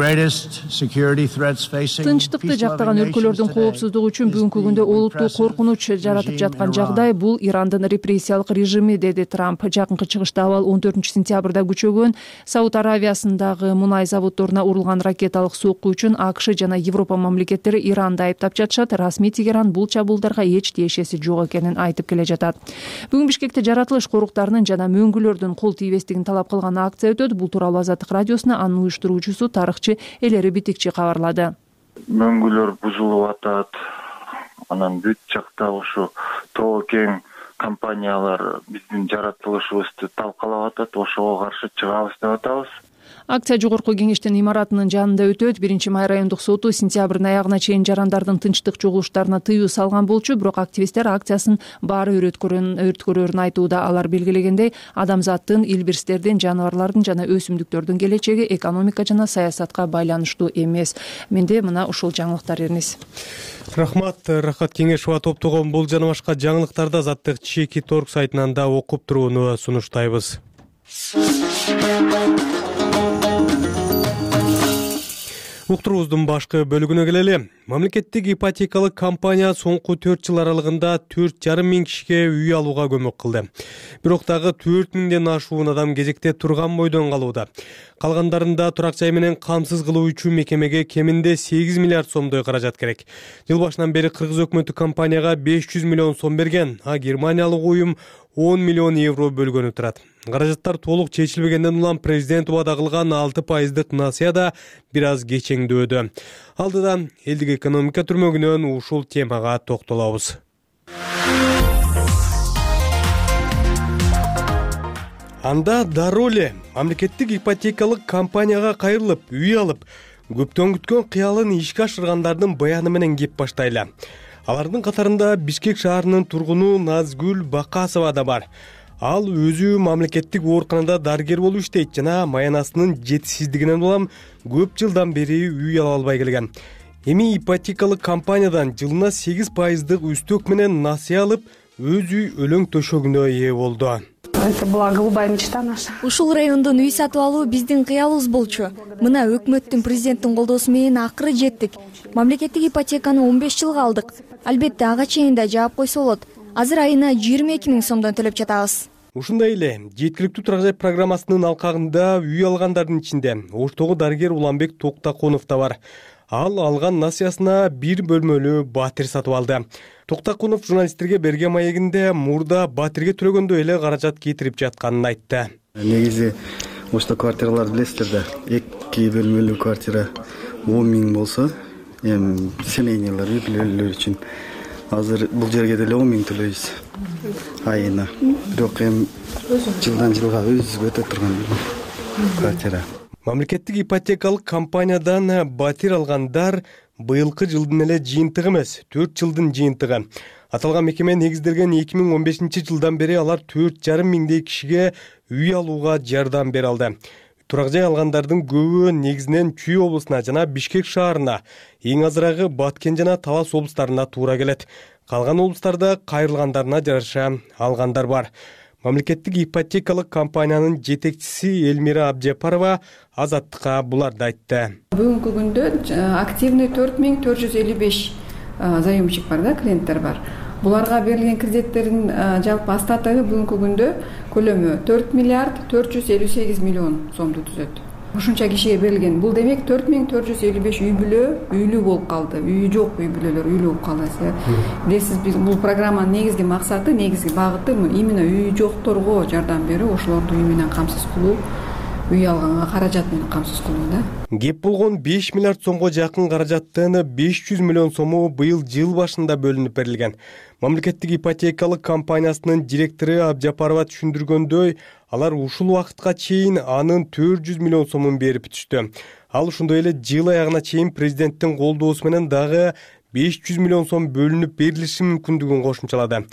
S4: жактаган өлкөлөрдүн коопсуздугу үчүн бүгүнкү күндө олуттуу коркунуч жаратып жаткан жагдай бул Ирандын репрессиялык режими, деди Трамп. Жакынкы чыгышта абал он төртүнчү сентябрда күчөгөн Сауд Аравиясындагы мунай заводдоруна урулган ракеталык сокку үчүн АКШ жана Европа мамлекеттери Иранды айыптап жатышат. Расмий Тегеран бул чабуулдарга эч тиешеси жок экенин айтып келе жатат. Бүгүн Бишкекте жаратылыш коруктарынын жана мөңгүлөрдүн кол тийбестигин талап кылган акция өтөт. Бул тууралуу Азаттык радиосуна анын уюштуруучусу тарыхчы Элери Битикчи кабарлады.
S6: Мөңгүлөр бузулуп атат. Анан бүт жакта ушу тоо кең компаниялар биздин жаратылышыбызды талкалап атат. Ошого каршы чыгабыз деп атабыз.
S4: Акция жогорку кеңештин имаратынын жанында өтөт. Биринчи май райондук соту сентябрдын аягына чейин жарандардын тынчтык чогулуштарына тыюу салган болчу, бирок активисттер акциясын баары өрткөрөрүн айтууда. Алар белгилегендей, адамзаттын, илбирстердин, жаныбарлардын жана өсүмдүктөрдүн келечеги экономика жана саясатка байланыштуу эмес. Менде мына ушул жаңылыктар Эрнис.
S1: Рахмат, Рахат Кеңешева топтогон бул жана башка жаңылыктарды Азаттык чекит орг сайтынан да окуп турууну сунуштайбыз. Уктуруубуздун башкы бөлүгүнө келели. Мамлекеттик ипотекалык компания соңку төрт жыл аралыгында төрт жарым миң кишиге үй алууга көмөк кылды. Бирок дагы төрт миңден ашуун адам кезекте турган бойдон калууда. Калгандарында турак жай менен камсыз кылуу үчүн мекемеге кеминде сегиз миллиард сомдой каражат керек. Жыл башынан бери Кыргыз өкмөтү компанияга беш жүз миллион сом берген, а германиялык уюм он миллион евро бөлгөнү турат. Каражаттар толук чечилбегенден улам президент убада кылган алты пайыздык насыя да бир аз кечеңдөөдө. Алдыда элдик экономика түрмөгүнөн ушул темага токтолобуз. Анда дароо эле мамлекеттик ипотекалык компанияга кайрылып, үй алып, көптөн күткөн кыялын ишке ашыргандардын баяны менен кеп баштайлы. Алардын катарында Бишкек шаарынын тургуну Назгүл Бакасова да бар. Ал өзү мамлекеттик ооруканада дарыгер болуп иштейт жана маянасынын жетишсиздигинен улам көп жылдан бери үй ала албай келген. Эми ипотекалык компаниядан жылына сегиз пайыздык үстөк менен насыя алып, өз үй өлөң төшөгүнө ээ болду.
S19: Это была голубая мечта наша.
S20: Ушул райондон үй сатып алуу биздин кыялыбыз болчу. Мына өкмөттүн, президенттин колдоосу менен акыры жеттик. Мамлекеттик ипотеканы он беш жылга алдык. Албетте ага чейин да жаап койсо болот. Азыр айына жыйырма эки миң сомдон төлөп жатабыз.
S1: Ушундай эле жеткиликтүү турак жай программасынын алкагында үй алгандардын ичинде Оштогу дарыгер Уланбек Токтакунов да бар. Ал алган насыясына бир бөлмөлүү батир сатып алды. Токтакунов журналисттерге берген маегинде мурда батирге төлөгөндөй эле каражат кетирип жатканын айтты.
S21: Негизи ошто квартиралар билесиздер да, эки бөлмөлүү квартира он миң болсо, эми семейныйлар, үй бүлөлөр үчүн азыр бул жерге деле он миң төлөйбүз айына. Бирок эми жылдан жылга өзүбүз өтө турган квартира.
S1: Мамлекеттик ипотекалык компаниядан батир алгандар быйылкы жылдын эле жыйынтыгы эмес, төрт жылдын жыйынтыгы. Аталган мекеме негизделген эки миң он бешинчи жылдан бери алар төрт жарым миңдей кишиге үй алууга жардам бере алды. Турак жай алгандардын көбү негизинен Чүй облусуна жана Бишкек шаарына, эң азырагы Баткен жана Талас облустарына туура келет. Калган облустарда кайрылгандарына жараша алгандар бар. Мамлекеттик ипотекалык компаниянын жетекчиси Элмира Абжапарова Азаттыкка буларды айтты.
S22: Бүгүнкү күндө активный төрт миң төрт жүз элүү беш заемщик бар да, клиенттер бар. Буларга берилген кредиттердин жалпы остатыгы бүгүнкү күндө көлөмү төрт миллиард төрт жүз элүү сегиз миллион сомду түзөт. Ушунча кишиге берилген. Бул демек төрт миң төрт жүз элүү беш үй бүлө үйлүү болуп калды. Үйү жок үй бүлөлөр үйлүү болуп калды. Билесиз, биз бул программанын негизги максаты, негизги багыты именно үйү жокторго жардам берүү, ошолорду үй менен камсыз кылуу, үй алганга каражат менен камсыз кылуу да.
S1: Кеп болгон беш миллиард сомго жакын каражаттын беш жүз миллион сому быйыл жыл башында бөлүнүп берилген. Мамлекеттик ипотекалык компаниясынын директору Абжапарова түшүндүргөндөй, алар ушул убакытка чейин анын төрт жүз миллион сомун берип бүтүштү. Ал ошондой эле жыл аягына чейин президенттин колдоосу менен дагы беш жүз миллион сом бөлүнүп берилиши мүмкүндүгүн кошумчалады.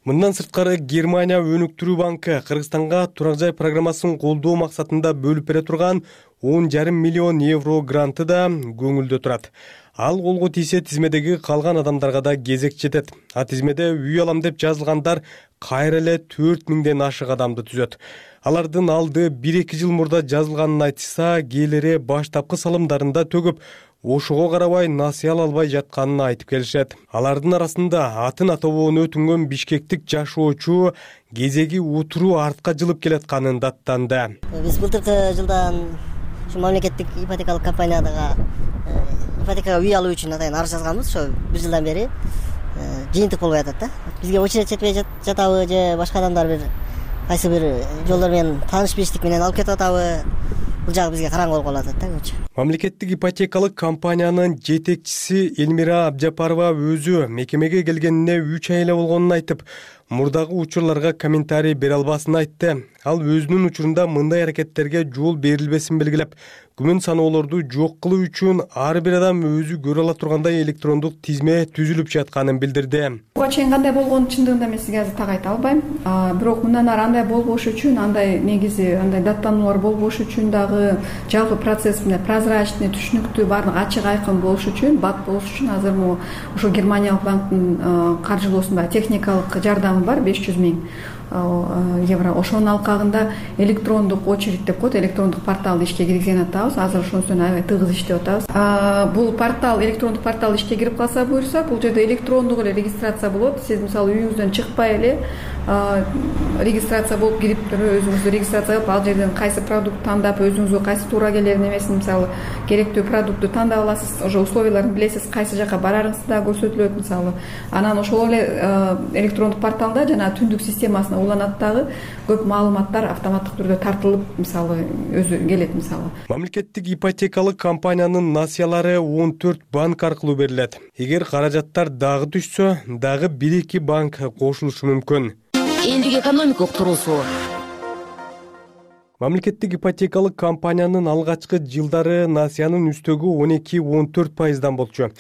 S1: Мындан сырткары Германия өнүктүрүү банкы Кыргызстанга турак жай программасын колдоо максатында бөлүп бере турган он жарым миллион евро гранты да көңүлдө турат. Ал колго тийсе тизмедеги калган адамдарга да кезек жетет. А тизмеде үй алам деп жазылгандар кайра эле төрт миңден ашык адамды түзөт. Алардын алды бир эки жыл мурда жазылганын айтышса, кээлери баштапкы салымдарында төгүп, ошого карабай насыя ала албай жатканын айтып келишет. Алардын арасында атын атобоону өтүнгөн бишкектик жашоочу кезеги утуруу артка жылып келатканын даттанды.
S23: Биз былтыркы жылдан мамлекеттик ипотекалык компаниядага ипотекага үй алуу үчүн атайын арыз жазганбыз. Ошо бир жылдан бери жыйынтык болбой атат да. Бизге очередь жетпей жатабы же башка адамдар бир кайсы бир жолдор менен тааныш билиштик менен алып кетип атабы, бул жагы бизге караңгы болуп калып атат да көчө.
S1: Мамлекеттик ипотекалык компаниянын жетекчиси Элмира Абжапарова өзү мекемеге келгенине үч ай эле болгонун айтып, мурдагы учурларга комментарий бере албасын айтты. Ал өзүнүн учурунда мындай аракеттерге жол берилбесин белгилеп, күмөн саноолорду жок кылуу үчүн ар бир адам өзү көрө ала тургандай электрондук тизме түзүлүп жатканын билдирди.
S22: Буга чейин кандай болгонун чындыгында мен сизге азыр так айта албайм. Бирок мындан ары андай болбош үчүн, андай негизи андай даттануулар болбош үчүн дагы жалпы процесс менен прозрачный, түшүнүктүү, баардыгы ачык айкын болуш үчүн, бат болуш үчүн азыр могу ошо Германиялык банктын каржылоосунда техникалык жардамы бар беш жүз миң. евро. Ошонун алкагында электрондук очередь деп коет, электрондук порталды ишке киргизген атабыз. Азыр ошонусун аябай тыгыз иштеп атабыз. Бул портал, электрондук портал ишке кирип калса буюрса, бул жерде электрондук эле регистрация болот. Сиз мисалы үйүңүздөн чыкпай эле регистрация болуп кирип өзүңүздү регистрация кылып, ал жерден кайсы продукт тандап, өзүңүзгө кайсы туура келер немесин, мисалы керектүү продуктты тандап аласыз. Ошо условияларын билесиз, кайсы жака барарыңызды да көрсөтүлөт мисалы. Анан ошол эле электрондук порталда жана түндүк системасына уланат дагы көп маалыматтар автоматтык түрдө тартылып, мисалы өзү келет мисалы.
S1: Мамлекеттик ипотекалык компаниянын насыялары он төрт банк аркылуу берилет. Эгер каражаттар дагы түшсө, дагы бир эки банк кошулушу мүмкүн.
S7: Элдик экономикалык туруусу.
S1: Мамлекеттик ипотекалык компаниянын алгачкы жылдары насыянын үстөгү он эки он төрт пайыздан болчу.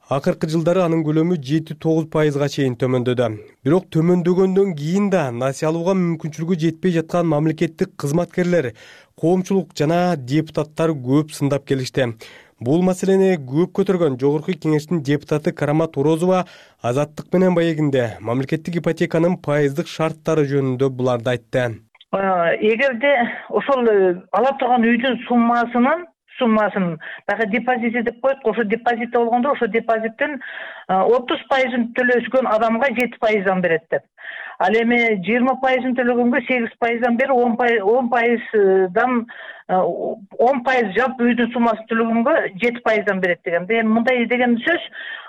S1: Акыркы жылдары анын көлөмү жети тогуз пайызга чейин төмөндөдү. Бирок төмөндөгөндөн кийин да насыя алууга мүмкүнчүлүгү жетпей жаткан мамлекеттик кызматкерлер, коомчулук жана депутаттар көп сындап келишти. Бул маселени көп көтөргөн Жогорку Кеңештин депутаты Карамат Орозова Азаттык менен маегинде мамлекеттик ипотеканын пайыздык шарттары жөнүндө буларды айтты.
S8: Эгерде ошол ала турган үйдүн суммасынын суммасын баягы депозит деп коет, ошо депозитте болгондо ошо депозиттин отуз пайызын төлөшкөн адамга жети пайыздан берет деп. Ал эми жыйырма пайызын төлөгөнгө сегиз пайыздан бери он пайыздан он пайыз жалпы үйдүн суммасын төлөгөнгө жети пайыздан берет деген. Эми мындай деген сөз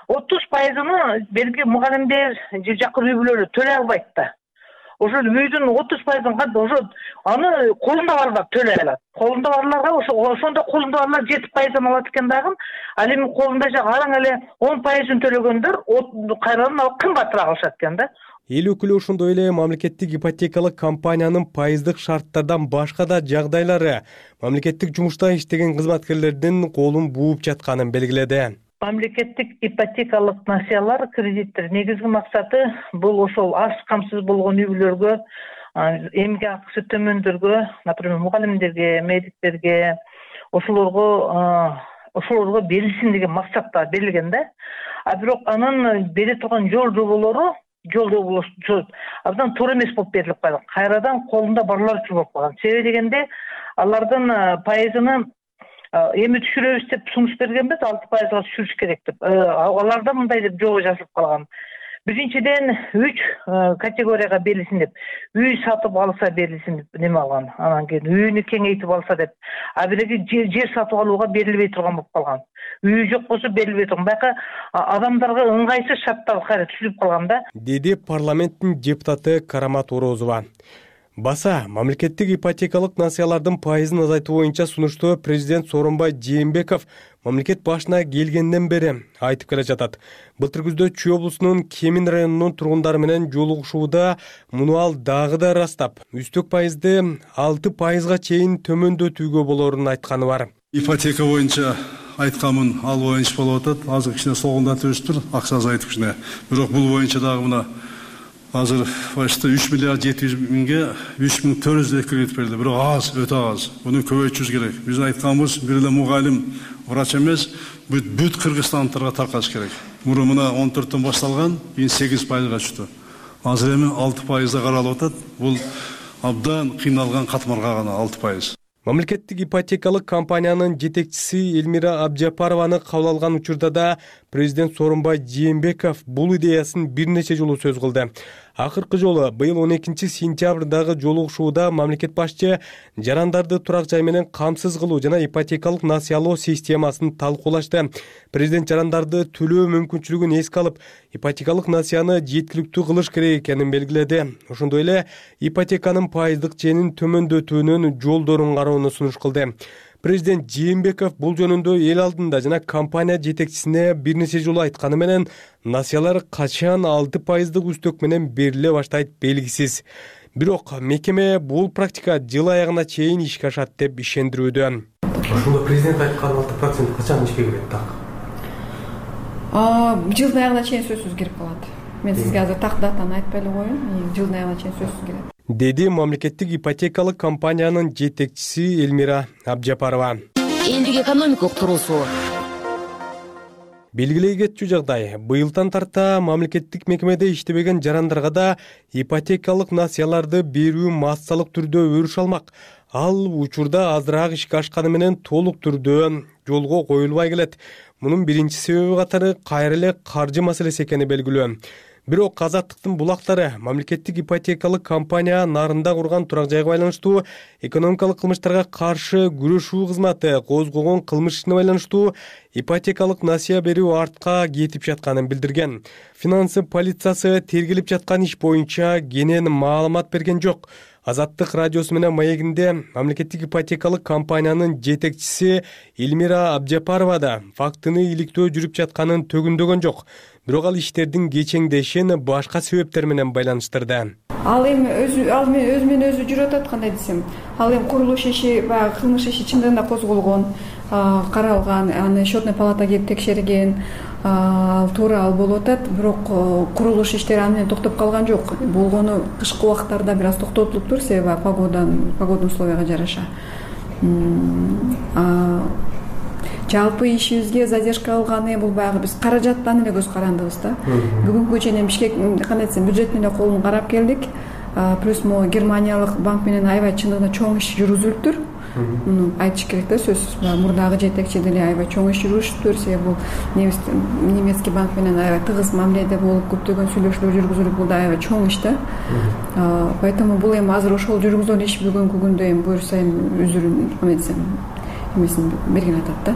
S8: отуз пайызын берги мугалимдер же жакын үй бүлөлөр төлөй албайт да. Ошол үйдүн отуз пайызын ошо аны колунда барлар төлөй алат. Колунда барларга ошо ошондо колунда барлар жети пайыздан алат экен дагы. Ал эми колунда жак араң эле он пайызын төлөгөндөр кайрадан ал кымбатыраак алышат экен да.
S1: Эл өкүлү ошондой эле мамлекеттик ипотекалык компаниянын пайыздык шарттардан башка да жагдайлары мамлекеттик жумушта иштеген кызматкерлердин колун бууп жатканын белгиледи.
S8: Мамлекеттик ипотекалык насыялар, кредиттер негизги максаты бул ошол аз камсыз болгон үй бүлөлөргө, эмгек акысы төмөндөргө, например, мугалимдерге, медиктерге, ошолорго ошолорго берилсин деген максатта берилген да. А бирок анын бере турган жол жоболору жол жоболору абдан туура эмес болуп берилип калган. Кайрадан колунда барлар үчүн болуп калган. Себеби дегенде алардын пайызын эми түшүрөбүз деп сунуш бергенбиз, алты пайызга түшүрүш керек деп. Аларда мындай деп жобо жазылып калган. Биринчиден үч категорияга берилсин деп. Үй сатып алса берилсин деп неме алган. Анан кийин үйүнү кеңейтип алса деп. А биреги жер сатып алууга берилбей турган болуп калган. Үйү жок болсо берилбей турган. Байка адамдарга ыңгайсыз шарттар кайра түзүлүп калган да.
S1: Деди парламенттин депутаты Карамат Орозова. Баса, мамлекеттик ипотекалык насыялардын пайызын азайтуу боюнча сунушту президент Сооронбай Жээнбеков мамлекет башына келгенден бери айтып келе жатат. Былтыр күздө Чүй облусунун Кемин районунун тургундары менен жолугушууда муну ал дагы да ырастап, үстөк пайызды алты пайызга чейин төмөндөтүүгө болорун айтканы бар.
S9: Ипотека боюнча айтканмын, ал боюнча болуп атат. Азыр кичине солгундатып өстүр, акча азайтып кичине. Бирок бул боюнча дагы мына азыр почти үч миллиард жети жүз миңге үч миң төрт жүз кредит берилди. Бирок аз, өтө аз. Муну көбөйтүш керек. Биздин айтканыбыз бир эле мугалим, врач эмес, бүт бүт кыргызстандыктарга таркатыш керек. Мурун мына он төрттөн башталган, кийин сегиз пайызга түштү. Азыр эми алты пайызда каралып атат. Бул абдан кыйналган катмарга гана алты пайыз.
S1: Мамлекеттик ипотекалык компаниянын жетекчиси Элмира Абжапарованы кабыл алган учурда да президент Сооронбай Жээнбеков бул идеясын бир нече жолу сөз кылды. Акыркы жолу быйыл он экинчи сентябрдагы жолугушууда мамлекет башчы жарандарды турак жай менен камсыз кылуу жана ипотекалык насыялоо системасын талкуулашты. Президент жарандарды төлөө мүмкүнчүлүгүн эске алып, ипотекалык насыяны жеткиликтүү кылыш керек экенин белгиледи. Ошондой эле ипотеканын пайыздык ченин төмөндөтүүнүн жолдорун кароону сунуш кылды. Президент Жээнбеков бул жөнүндө эл алдында жана компания жетекчисине бир нече жолу айтканы менен насыялар качан алты пайыздык үстөк менен бериле баштайт белгисиз. Бирок мекеме бул практика жыл аягына чейин ишке ашат деп ишендирүүдө.
S24: Ошондо президент айткан алты процент качан ишке кирет так?
S22: Жылдын аягына чейин сөзсүз кирип калат. Мен сизге азыр так датаны айтпай эле коеюн. Жылдын аягына чейин сөзсүз кирет.
S1: Деди мамлекеттик ипотекалык компаниянын жетекчиси Элмира Абжапарова.
S7: Элдик экономикалык туруусу.
S1: Белгилей кетчү жагдай, быйылдан тарта мамлекеттик мекемеде иштебеген жарандарга да ипотекалык насыяларды берүү массалык түрдө өрүш алмак. Ал учурда азыраак ишке ашканы менен толук түрдө жолго коюлбай келет. Мунун биринчи себеби катары кайра эле каржы маселеси экени белгилүү. Бирок Азаттыктын булактары мамлекеттик ипотекалык компания нарында курган турак жайга байланыштуу экономикалык кылмыштарга каршы күрөшүү кызматы козгогон кылмыш ишине байланыштуу ипотекалык насыя берүү артка кетип жатканын билдирген. Финансы полициясы тергелип жаткан иш боюнча кенен маалымат берген жок. Азаттык радиосу менен маегинде мамлекеттик ипотекалык компаниянын жетекчиси Элмира Абжапарова да фактыны иликтөө жүрүп жатканын төгүндөгөн жок. Бирок ал иштердин кечеңдешин башка себептер менен байланыштырды.
S22: Ал эми өзү ал менен өзү менен өзү жүрүп атат, кандай десем. Ал эми курулуш иши, баягы кылмыш иши чындыгында да козголгон, каралган, аны счетный палата келип текшерген, ал туура ал болуп атат. Бирок курулуш иштери аны менен токтоп калган жок. Болгону кышкы убактарда бир аз токтотулуптур, себеби погодан, погодный условияга жараша. Жалпы ишибизге задержка алганы бул баягы биз каражаттан эле көз карандыбыз да. Бүгүнкү чейин Бишкек кандай десем бюджеттин эле колун карап келдик. Плюс могу германиялык банк менен аябай чындыгында чоң иш жүргүзүлүптүр. Муну айтыш керек да, сөзсүз. Мурдагы жетекчи деле аябай чоң иш жүргүзүптүр, себеби бул немецкий банк менен аябай тыгыз мамиледе болуп, көптөгөн сүйлөшүүлөр жүргүзүлүп, бул да аябай чоң иш да. Поэтому бул эми азыр ошол жүргүзгөн иш бүгүнкү күндө эми буюрса эми үзүрүн эмесин эмесин берген атат да.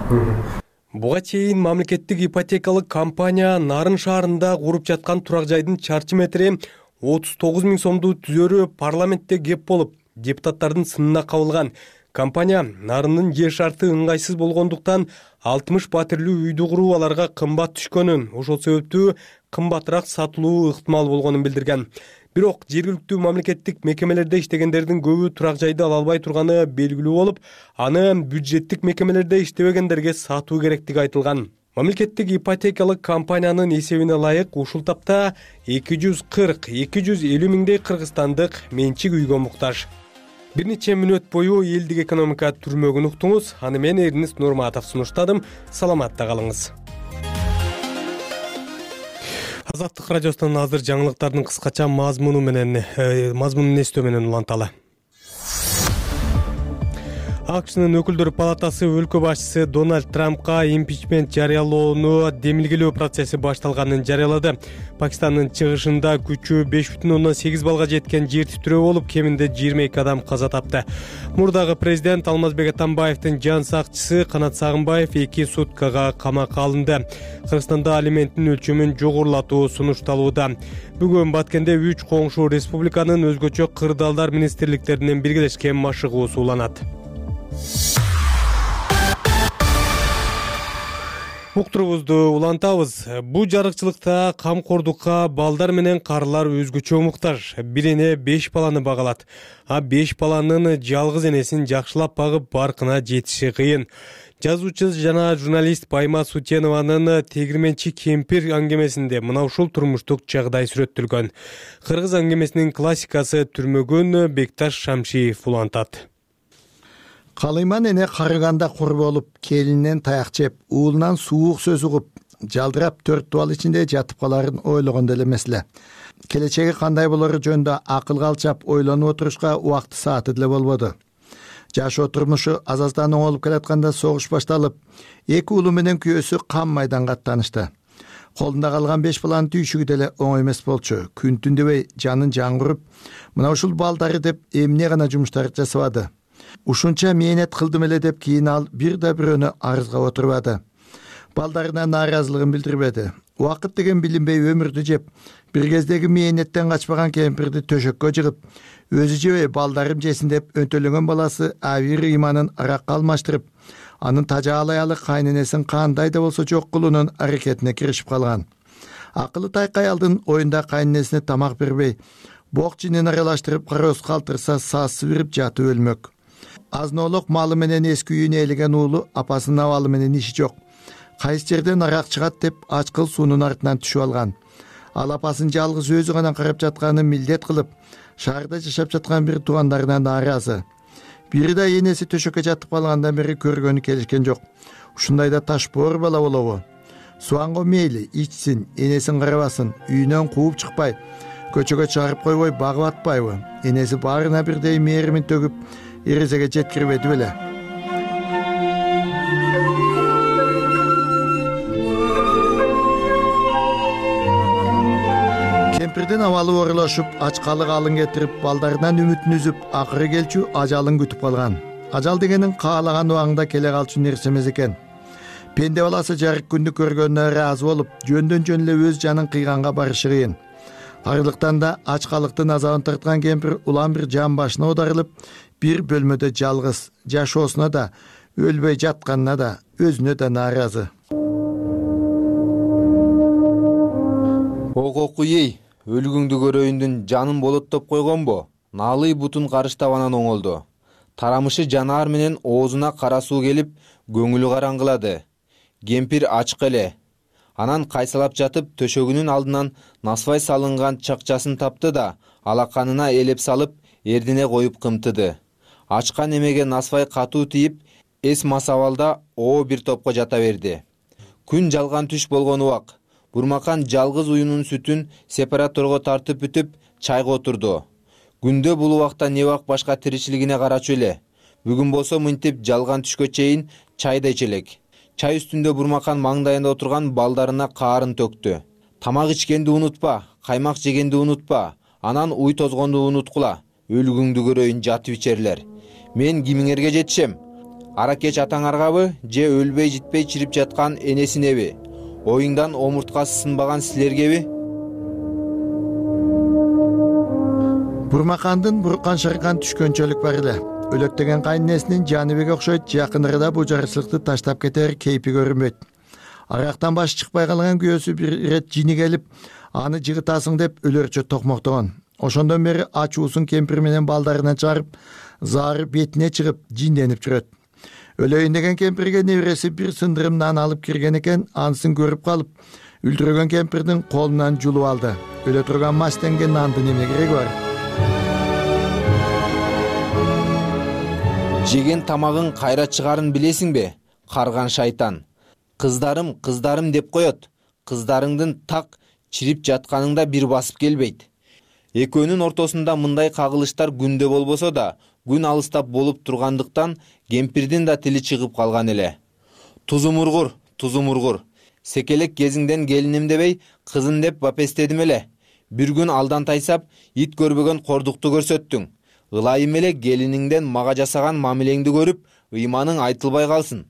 S1: Буга чейин мамлекеттик ипотекалык компания Нарын шаарында куруп жаткан турак жайдын чарчы метри отуз тогуз миң сомду түзөрү парламентте кеп болуп, депутаттардын сынына кабылган. Компания Нарындын жер шарты ыңгайсыз болгондуктан алтымыш патирлүү үйдү куруу аларга кымбат түшкөнүн, ошол себептүү кымбатыраак сатылуу ыктымал болгонун билдирген. Бирок жергиликтүү мамлекеттик мекемелерде иштегендердин көбү турак жайды ала албай турганы белгилүү болуп, аны бюджеттик мекемелерде иштебегендерге сатуу керектиги айтылган. Мамлекеттик ипотекалык компаниянын эсебине ылайык ушул тапта эки жүз кырк — эки жүз элүү миңдей кыргызстандык менчик үйгө муктаж. Бир нече мүнөт бою элдик экономика түрмөгүн уктуңуз. Аны мен Эрнис Нурматов сунуштадым. Саламатта калыңыз. Азаттык радиосунун азыр жаңылыктардын кыскача мазмуну менен мазмунун эстөө менен уланталы. АКШнын өкүлдөр палатасы өлкө башчысы Дональд Трампка импичмент жарыялоону демилгелөө процесси башталганын жарыялады. Пакистандын чыгышында күчү беш бүтүн ондон сегиз балга жеткен жер титирөө болуп, кеминде жыйырма эки адам каза тапты. Мурдагы президент Алмазбек Атамбаевдин жан сакчысы Канат Сагынбаев эки суткага камакка алынды. Кыргызстанда алименттин өлчөмүн жогорулатуу сунушталууда. Бүгүн Баткенде үч коңшу республиканын өзгөчө кырдаалдар министрликтеринин биргелешкен машыгуу сууланат. Уктурубузду улантабыз. Бу жарыкчылыкта камкордукка балдар менен карылар өзгөчө муктаж. Бир эне беш баланы багалат. А беш баланын жалгыз энесин жакшылап багып баркына жетиши кыйын. Жазуучу жана журналист Пайма Сутенованын Тегирменчи кемпир аңгемесинде мына ушул турмуштук жагдай сүрөттөлгөн. Кыргыз аңгемесинин классикасы түрмөгөн Бекташ Шамшиев улантат.
S3: Калыйман эне карыганда кур болуп, келининен таяк жеп, уулунан суук сөз угуп, жалдырап төрт дубал ичинде жатып каларын ойлогондо эле эмес эле. Келечеги кандай болору жөнүндө акылга алчап ойлонуп отурушка убакты сааты деле болбоду. Жашоо турмушу аз-аздан оңолуп келатканда согуш башталып, эки уулу менен күйөөсү кам майданга аттанышты. Колунда калган беш баланын түйшүгү деле оңой эмес болчу. Күн түн дебей жанын жаңгырып, мына ушул балдары деп эмне гана жумуштарды жасабады. Ушунча мээнет кылдым эле деп кийин ал бир да бирөөнү арызга отурбады. Балдарына нааразылыгын билдирбеди. Убакыт деген билинбей өмүрдү жеп, бир кездеги мээнеттен качпаган кемпирди төшөккө жыгып, өзү жебей балдарым жесин деп өнтөлөнгөн баласы Авир Иманын аракка алмаштырып, анын тажаалы аялы кайненесин кандай да болсо жок кылуунун аракетине киришип калган. Акылы тайкай алдын оюнда кайненесине тамак бербей, бок жинин аралаштырып кароз калтырса саасы бирип жатып өлмөк. Азноолук малы менен эски үйүнө ээлеген уулу апасынын абалы менен иши жок. Кайсы жерден арак чыгат деп ачкыл суунун артынан түшүп алган. Ал апасын жалгыз өзү гана карап жатканын милдет кылып, шаарда жашап жаткан бир туугандарына нааразы. Бири да энеси төшөккө жатып калгандан бери көргөнү келишкен жок. Ушундайда таш боор бала болобу? Суанго мейли ичсин, энесин карабасын, үйүнөн кууп чыкпай, көчөгө чыгарып койбой багып атпайбы? Энеси баарына бирдей мээримин төгүп, эрезеге жеткирбеди беле? Кемпирдин абалы оорулашып, ачкалык алын кетирип, балдарынан үмүтүн үзүп, акыры келчү ажалын күтүп калган. Ажал дегенин каалаган убагында келе калчу нерсе эмес экен. Пенде баласы жарык күндү көргөнүнө ыраазы болуп, жөндөн жөн эле өз жанын кыйганга барышы кыйын. Арылыктан да ачкалыктын азабын тарткан кемпир улам бир жан башына оодарылып, бир бөлмөдө жалгыз, жашоосуна да, өлбөй жатканына да, өзүнө да нааразы.
S2: Ококуй, өлгүңдү көрөйүндүн жанын болоттоп койгонбу? Наалый бутун карыштап анан оңолду. Тарамышы жанаар менен оозуна кара суу келип, көңүлү караңгылады. Кемпир ачык эле. Анан кайсалап жатып, төшөгүнүн алдынан насвай салынган чакчасын тапты да, алаканына элеп салып, эрдине коюп кымтыды. Ачкан эмеге насвай катуу тийип, эс масабалда оо бир топко жата берди. Күн жалган түш болгон убак. Бурмакан жалгыз уюнун сүтүн сепараторго тартып бүтүп, чайга отурду. Күндө бул убакта не бак башка тиричилигине карачу эле. Бүгүн болсо мынтип жалган түшкө чейин чайда ичелек. Чай үстүндө Бурмакан маңдайында отурган балдарына каарын төктү. Тамак ичкенди унутпа, каймак жегенди унутпа, анан уй тозгонду унуткула. Өлгүңдү көрөйүн жатып ичерлер. Мен кимиңерге жетишем? Ара кеч атаңаргабы, же өлбөй житпей чирип жаткан энесинеби? Оюңдан омурткасы сынбаган силергеби?
S3: Бурмакандын буркан шыркан түшкөнчөлүк бар эле. Өлөктөгөн кайненесинин Жаныбекке окшойт, жакын арада бул жарычылыкты таштап кетер кейпи көрүнбөйт. Арактан баш чыкпай калган күйөөсү бир ирет жини келип, аны жыгытасың деп өлөрчө токмоктогон. Ошондон бери ачуусун кемпир менен балдарынан чыгарып, заары бетине чыгып, жинденип жүрөт. Өлөйүн деген кемпирге небереси бир сындырым нан алып кирген экен, анысын көрүп калып, үлдүрөгөн кемпирдин колунан жулуп алды. Өлө турган мастенген нандын эмне кереги бар?
S2: Жеген тамагың кайра чыгарын билесиңби? Карган шайтан. Кыздарым, кыздарым деп коет. Кыздарыңдын так чирип жатканыңда бир басып келбейт. Экөөнүн ортосунда мындай кагылыштар күндө болбосо да, күн алыстап болуп тургандыктан кемпирдин да тили чыгып калган эле. Тузумургур, тузумургур. Секелек кезиңден келиним дебей, кызын деп бапестедим эле. Бир күн алдан тайсап, ит көрбөгөн кордукту көрсөттүң. Ылайым эле келиниңден мага жасаган мамилеңди көрүп, ыйманың айтылбай калсын.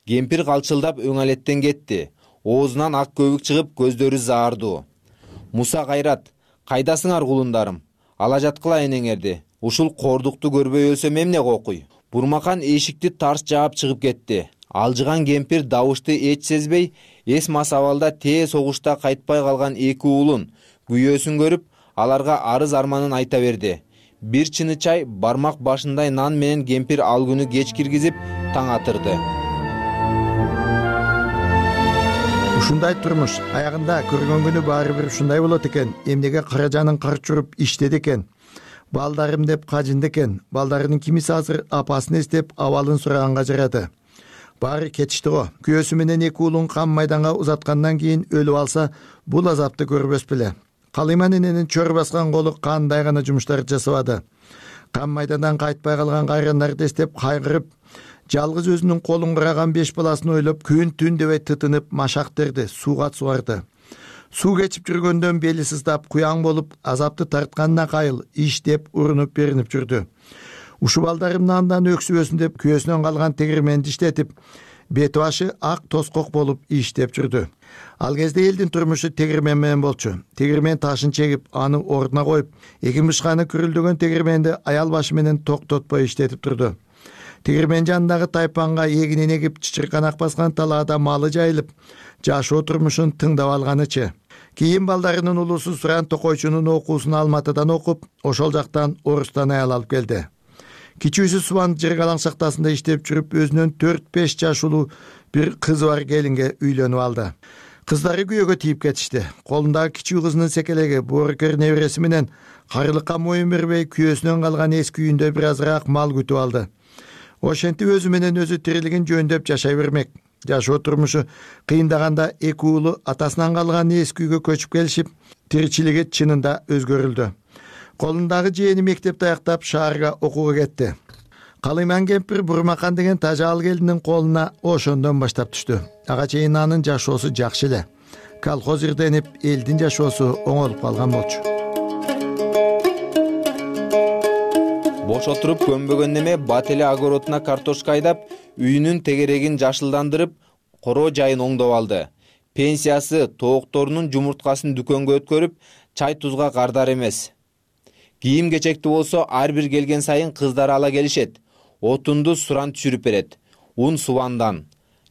S2: Кемпир калчылдап өңалеттен кетти. Оозунан ак көбүк чыгып, көздөрү заардуу. Муса Кайрат, кайдасыңар кулундарым? Ала жаткыла энеңерди. Ушул кордукту көрбөй өлсөм эмне кокуй? Бурмакан эшикти тарс жаап чыгып кетти. Алжыган кемпир добушты эч сезбей, эс масабалда тээ согушта кайтпай калган эки уулун, күйөөсүн көрүп, аларга арыз арманын айта берди. Бир чыны чай, бармак башындай нан менен кемпир ал күнү кеч киргизип, таң атырды.
S3: Ушундай турмуш аягында көргөн күнү баары бир ушундай болот экен. Эмнеге кара жанын карчуруп иштеди экен. Балдарым деп кажынды экен. Балдарынын кимиси азыр апасын эстеп абалын сураганга жарады. Баары кетишти го. Күйөөсү менен эки уулун кам майданга узаткандан кийин өлүп алса, бул азапты көрбөс беле. Калыйман эненин чөр баскан колу кандай гана жумуштар жасабады. Кам майдандан кайтпай калган кайрандарды эстеп кайгырып, жалгыз өзүнүн колун кыраган беш баласын ойлоп, күн түн дебей тытынып машак терди, сууга сугарды. Суу кечип жүргөндөн бели сыздап, куяң болуп, азапты тартканына кайыл, иштеп, урунуп беринип жүрдү. Ушул балдарымдын андан өксүбөсүн деп күйөөсүнөн калган тегирменди иштетип, бети башы ак тоскок болуп иштеп жүрдү. Ал кезде элдин турмушу тегирмен менен болчу. Тегирмен ташын чегип, аны ордуна коюп, эки мышканы күрүлдөгөн тегирменди аял башы менен токтотпой иштетип турду. Тегирмен жанындагы тайпанга эгинин эгип, чычырканак баскан талаада малы жайылып, жашоо турмушун тыңдап алганычы. Кийин балдарынын улусу Суран Токойчунун окуусун Алматыдан окуп, ошол жактан Орустан аял алып келди. Кичүүсү Субан Жыргалаң шахтасында иштеп жүрүп, өзүнүн төрт беш жаш улуу бир кызы бар келинге үйлөнүп алды. Кыздары күйөөгө тийип кетишти. Колундагы кичүү кызынын секелеги боорукер небереси менен карылыкка моюн бербей, күйөөсүнөн калган эски үйүндө бир азыраак мал күтүп алды. Ошентип өзү менен өзү тирилигин жөндөп жашай бермек. жашоо турмушу кыйындаганда эки уулу атасынан калган эски үйгө көчүп келишип, тиричилиги чынында өзгөрүлдү. Колундагы жээни мектепти аяктап шаарга окууга кетти. Калыйман кемпир Бурмакан деген тажал келиндин колуна ошондон баштап түштү. Ага чейин анын жашоосу жакшы эле. Колхоз ирденип, элдин жашоосу оңолуп калган болчу.
S2: Бош отуруп көнбөгөн неме бат эле огородуна картошка айдап, үйүнүн тегерегин жашылдандырып, короо жайын оңдоп алды. Пенсиясы тоокторунун жумурткасын дүкөнгө өткөрүп, чай тузга кардар эмес. Кийим кечекти болсо ар бир келген сайын кыздары ала келишет. Отунду суран түшүрүп берет. Ун субандан.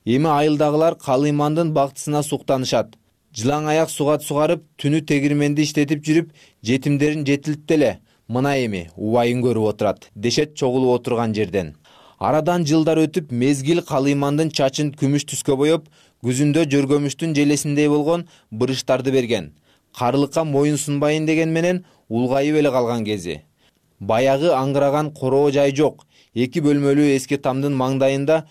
S2: Эми айылдагылар Калыймандын бактысына суктанышат. Жылаң аяк суга сугарып, түнү тегирменди иштетип жүрүп, жетимдерин жетилтти эле. Мына эми убайын көрүп отурат, дешет чогулуп отурган жерден. Арадан жылдар өтүп, мезгил Калыймандын чачын күмүш түскө боеп, күзүндө жөргөмүштүн желесиндей болгон бырыштарды берген. Карылыкка моюн сунбайын деген менен улгайып эле калган кези. Баягы аңгыраган короо жай жок. Эки бөлмөлүү эски тамдын маңдайында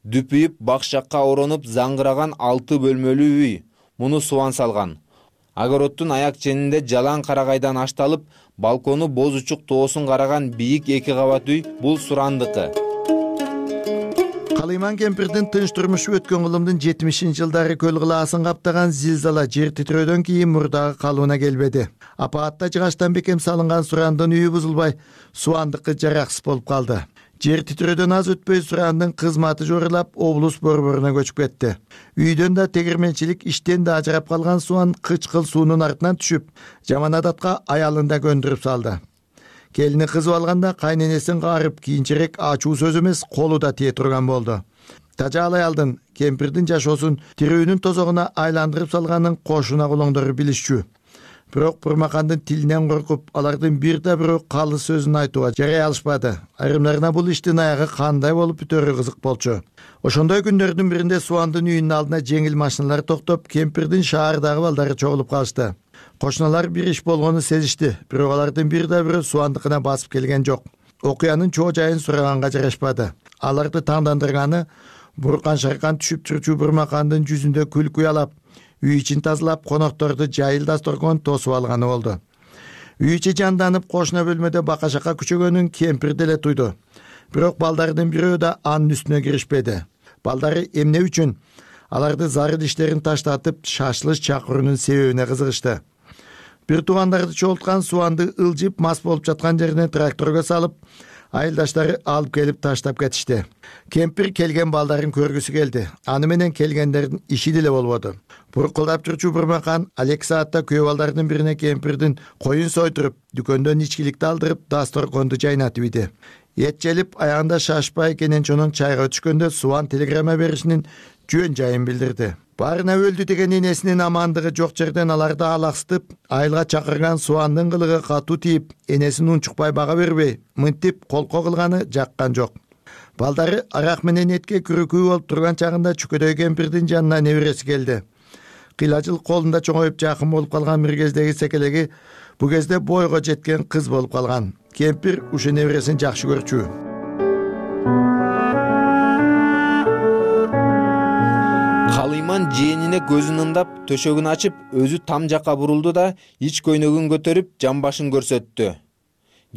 S2: дүпүйүп, бакшакка оронуп заңгыраган алты бөлмөлүү үй. Муну субан салган. Огороддун аяк ченинде жалаң карагайдан ашталып, балкону боз учук тоосун караган бийик эки кабат үй бул Сурандыкы.
S3: Калыйман кемпирдин тынч турмушу өткөн кылымдын жетимишинчи жылдары көл кылаасын каптаган зилзала жер титирөөдөн кийин мурдагы калыбына келбеди. Апаатта жыгачтан бекем салынган Сурандын үйү бузулбай, Суандыкы жараксыз болуп калды. Жер титирөөдөн аз өтпөй Сурандын кызматы жорулап, облус борборуна көчүп кетти. Үйдөн да тегирменчилик иштен да ажырап калган Суан кычкыл суунун артынан түшүп, жаман адатка аялын да көндүрүп салды. Келини кызып алганда кайненесин каарып, кийинчерээк ачуу сөз эмес, колу да тие турган болду. Тажал аялдын кемпирдин жашоосун тирүүнүн тозогуна айландырып салганын кошуна кулоңдору билишчү. Бирок Бурмакандын тилинен коркуп, алардын бир да бирөө калы сөзүн айтууга жарай алышпады. Айрымдарына бул иштин аягы кандай болуп бүтөрү кызык болчу. Ошондой күндөрдүн биринде Суандын үйүнүн алдына жеңил машиналар токтоп, кемпирдин шаардагы балдары чогулуп калышты. Кошуналар бир иш болгону сезишти, бирок алардын бир да бирөө Суандыкына басып келген жок. Окуянын чоо жайын сураганга жарашпады. Аларды таңдандырганы буркан шаркан түшүп турчу Бурмакандын жүзүндө күлкү уялап, үй ичин тазалап, конокторду жайыл дасторкон тосуп алганы болду. Үй ичи жанданып, кошуна бөлмөдө бака-шака күчөгөнүн кемпир деле туйду. Бирок балдардын бирөө да анын үстүнө киришпеди. Балдары эмне үчүн аларды зарыл иштерин таштатып, шашлыш чакыруунун себебине кызыгышты. Бир туугандарды чогулткан Суанды ылжып мас болуп жаткан жерине тракторго салып, айылдаштары алып келип таштап кетишти. Кемпир келген балдарын көргүсү келди. Аны менен келгендердин иши деле болбоду. Буркулдап турчу Бурмакан алек саатта күйөө балдардын бирине кемпирдин коюн сойдуруп, дүкөндөн ичкиликти алдырып, дасторконду жайнатып иди. Эт желип, аягында шашпай Кененчонун чайга түшкөндө Суан телеграмма беришинин жөн жайын билдирди. Барына өлдү деген энесинин амандыгы жок жерден аларды алаксытып, айылга чакырган Суандын кылыгы катуу тийип, энесин унчукпай бага бербей, мынтип колко кылганы жаккан жок. Балдары арак менен этке күрүкүү болуп турган чагында чүкөдөй кемпирдин жанына небереси келди. Кыйлажыл колунда чоңоюп жакын болуп калган миргездеги секелеги бу кезде бойго жеткен кыз болуп калган. Кемпир ушу небересин жакшы көрчү.
S2: Калыйман жээнине көзүн ындап, төшөгүн ачып, өзү там жакка бурулду да, ич көйнөгүн көтөрүп, жамбашын көрсөттү.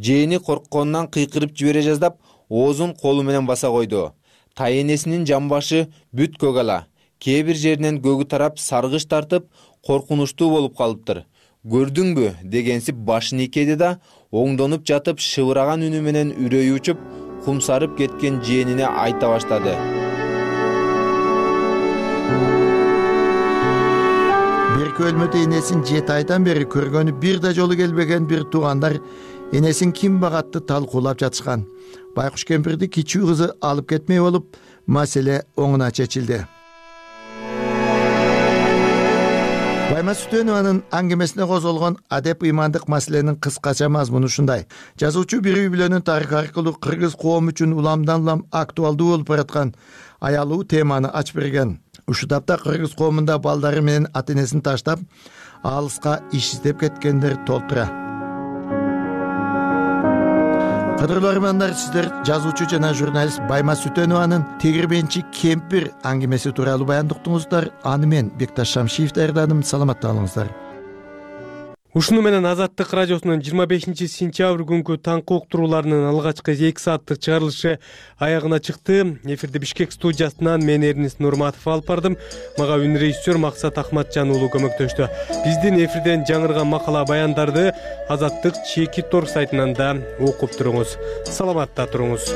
S2: Жээни коркконунан кыйкырып жибере жаздап, оозун колу менен баса койду. Тайенесинин жамбашы бүт көк ала. Кээ бир жеринен көгү тарап, саргыч тартып, коркунучтуу болуп калыптыр. Көрдүңбү дегенсип башын ийкеди да, оңдонуп жатып, шыбыраган үнү менен үрөйү учуп, кумсарып кеткен жээнине айта баштады.
S3: Берки өлмөдө энесин жети айдан бери көргөнү бир да жолу келбеген бир туугандар энесин ким багатты талкуулап жатышкан. Байкуш кемпирди кичүү кызы алып кетмей болуп, маселе оңуна чечилди. Байма Сүтөнованын аңгемесине козголгон адеп ыймандык маселенин кыскача мазмуну ушундай. Жазуучу бир үй бүлөнүн тарыхы аркылуу кыргыз коому үчүн уламдан улам актуалдуу болуп бараткан аялуу теманы ачып берген. Ушу тапта кыргыз коомунда балдары менен ата энесин таштап, алыска иш издеп кеткендер толтура. Кадырлуу армандар, сиздер жазуучу жана журналист Байма Сүтөнованын Тегирменчи кемпир аңгемеси тууралуу баяндап уктуңуздар. Аны мен Бекташ Шамшиев даярдадым. Саламатта болуңуздар.
S1: Ушуну менен Азаттык радиосунун жыйырма бешинчи сентябрь күнкү таңкы уктурууларынын алгачкы эки сааттык чыгарылышы аягына чыкты. Эфирди Бишкек студиясынан мен Эрнис Нурматов алып бардым. Мага үн режиссер Максат Ахматжан уулу көмөктөштү. Биздин эфирден жаңырган макала баяндарды Азаттык чеки тор сайтынан да окуп туруңуз. Саламатта туруңуз.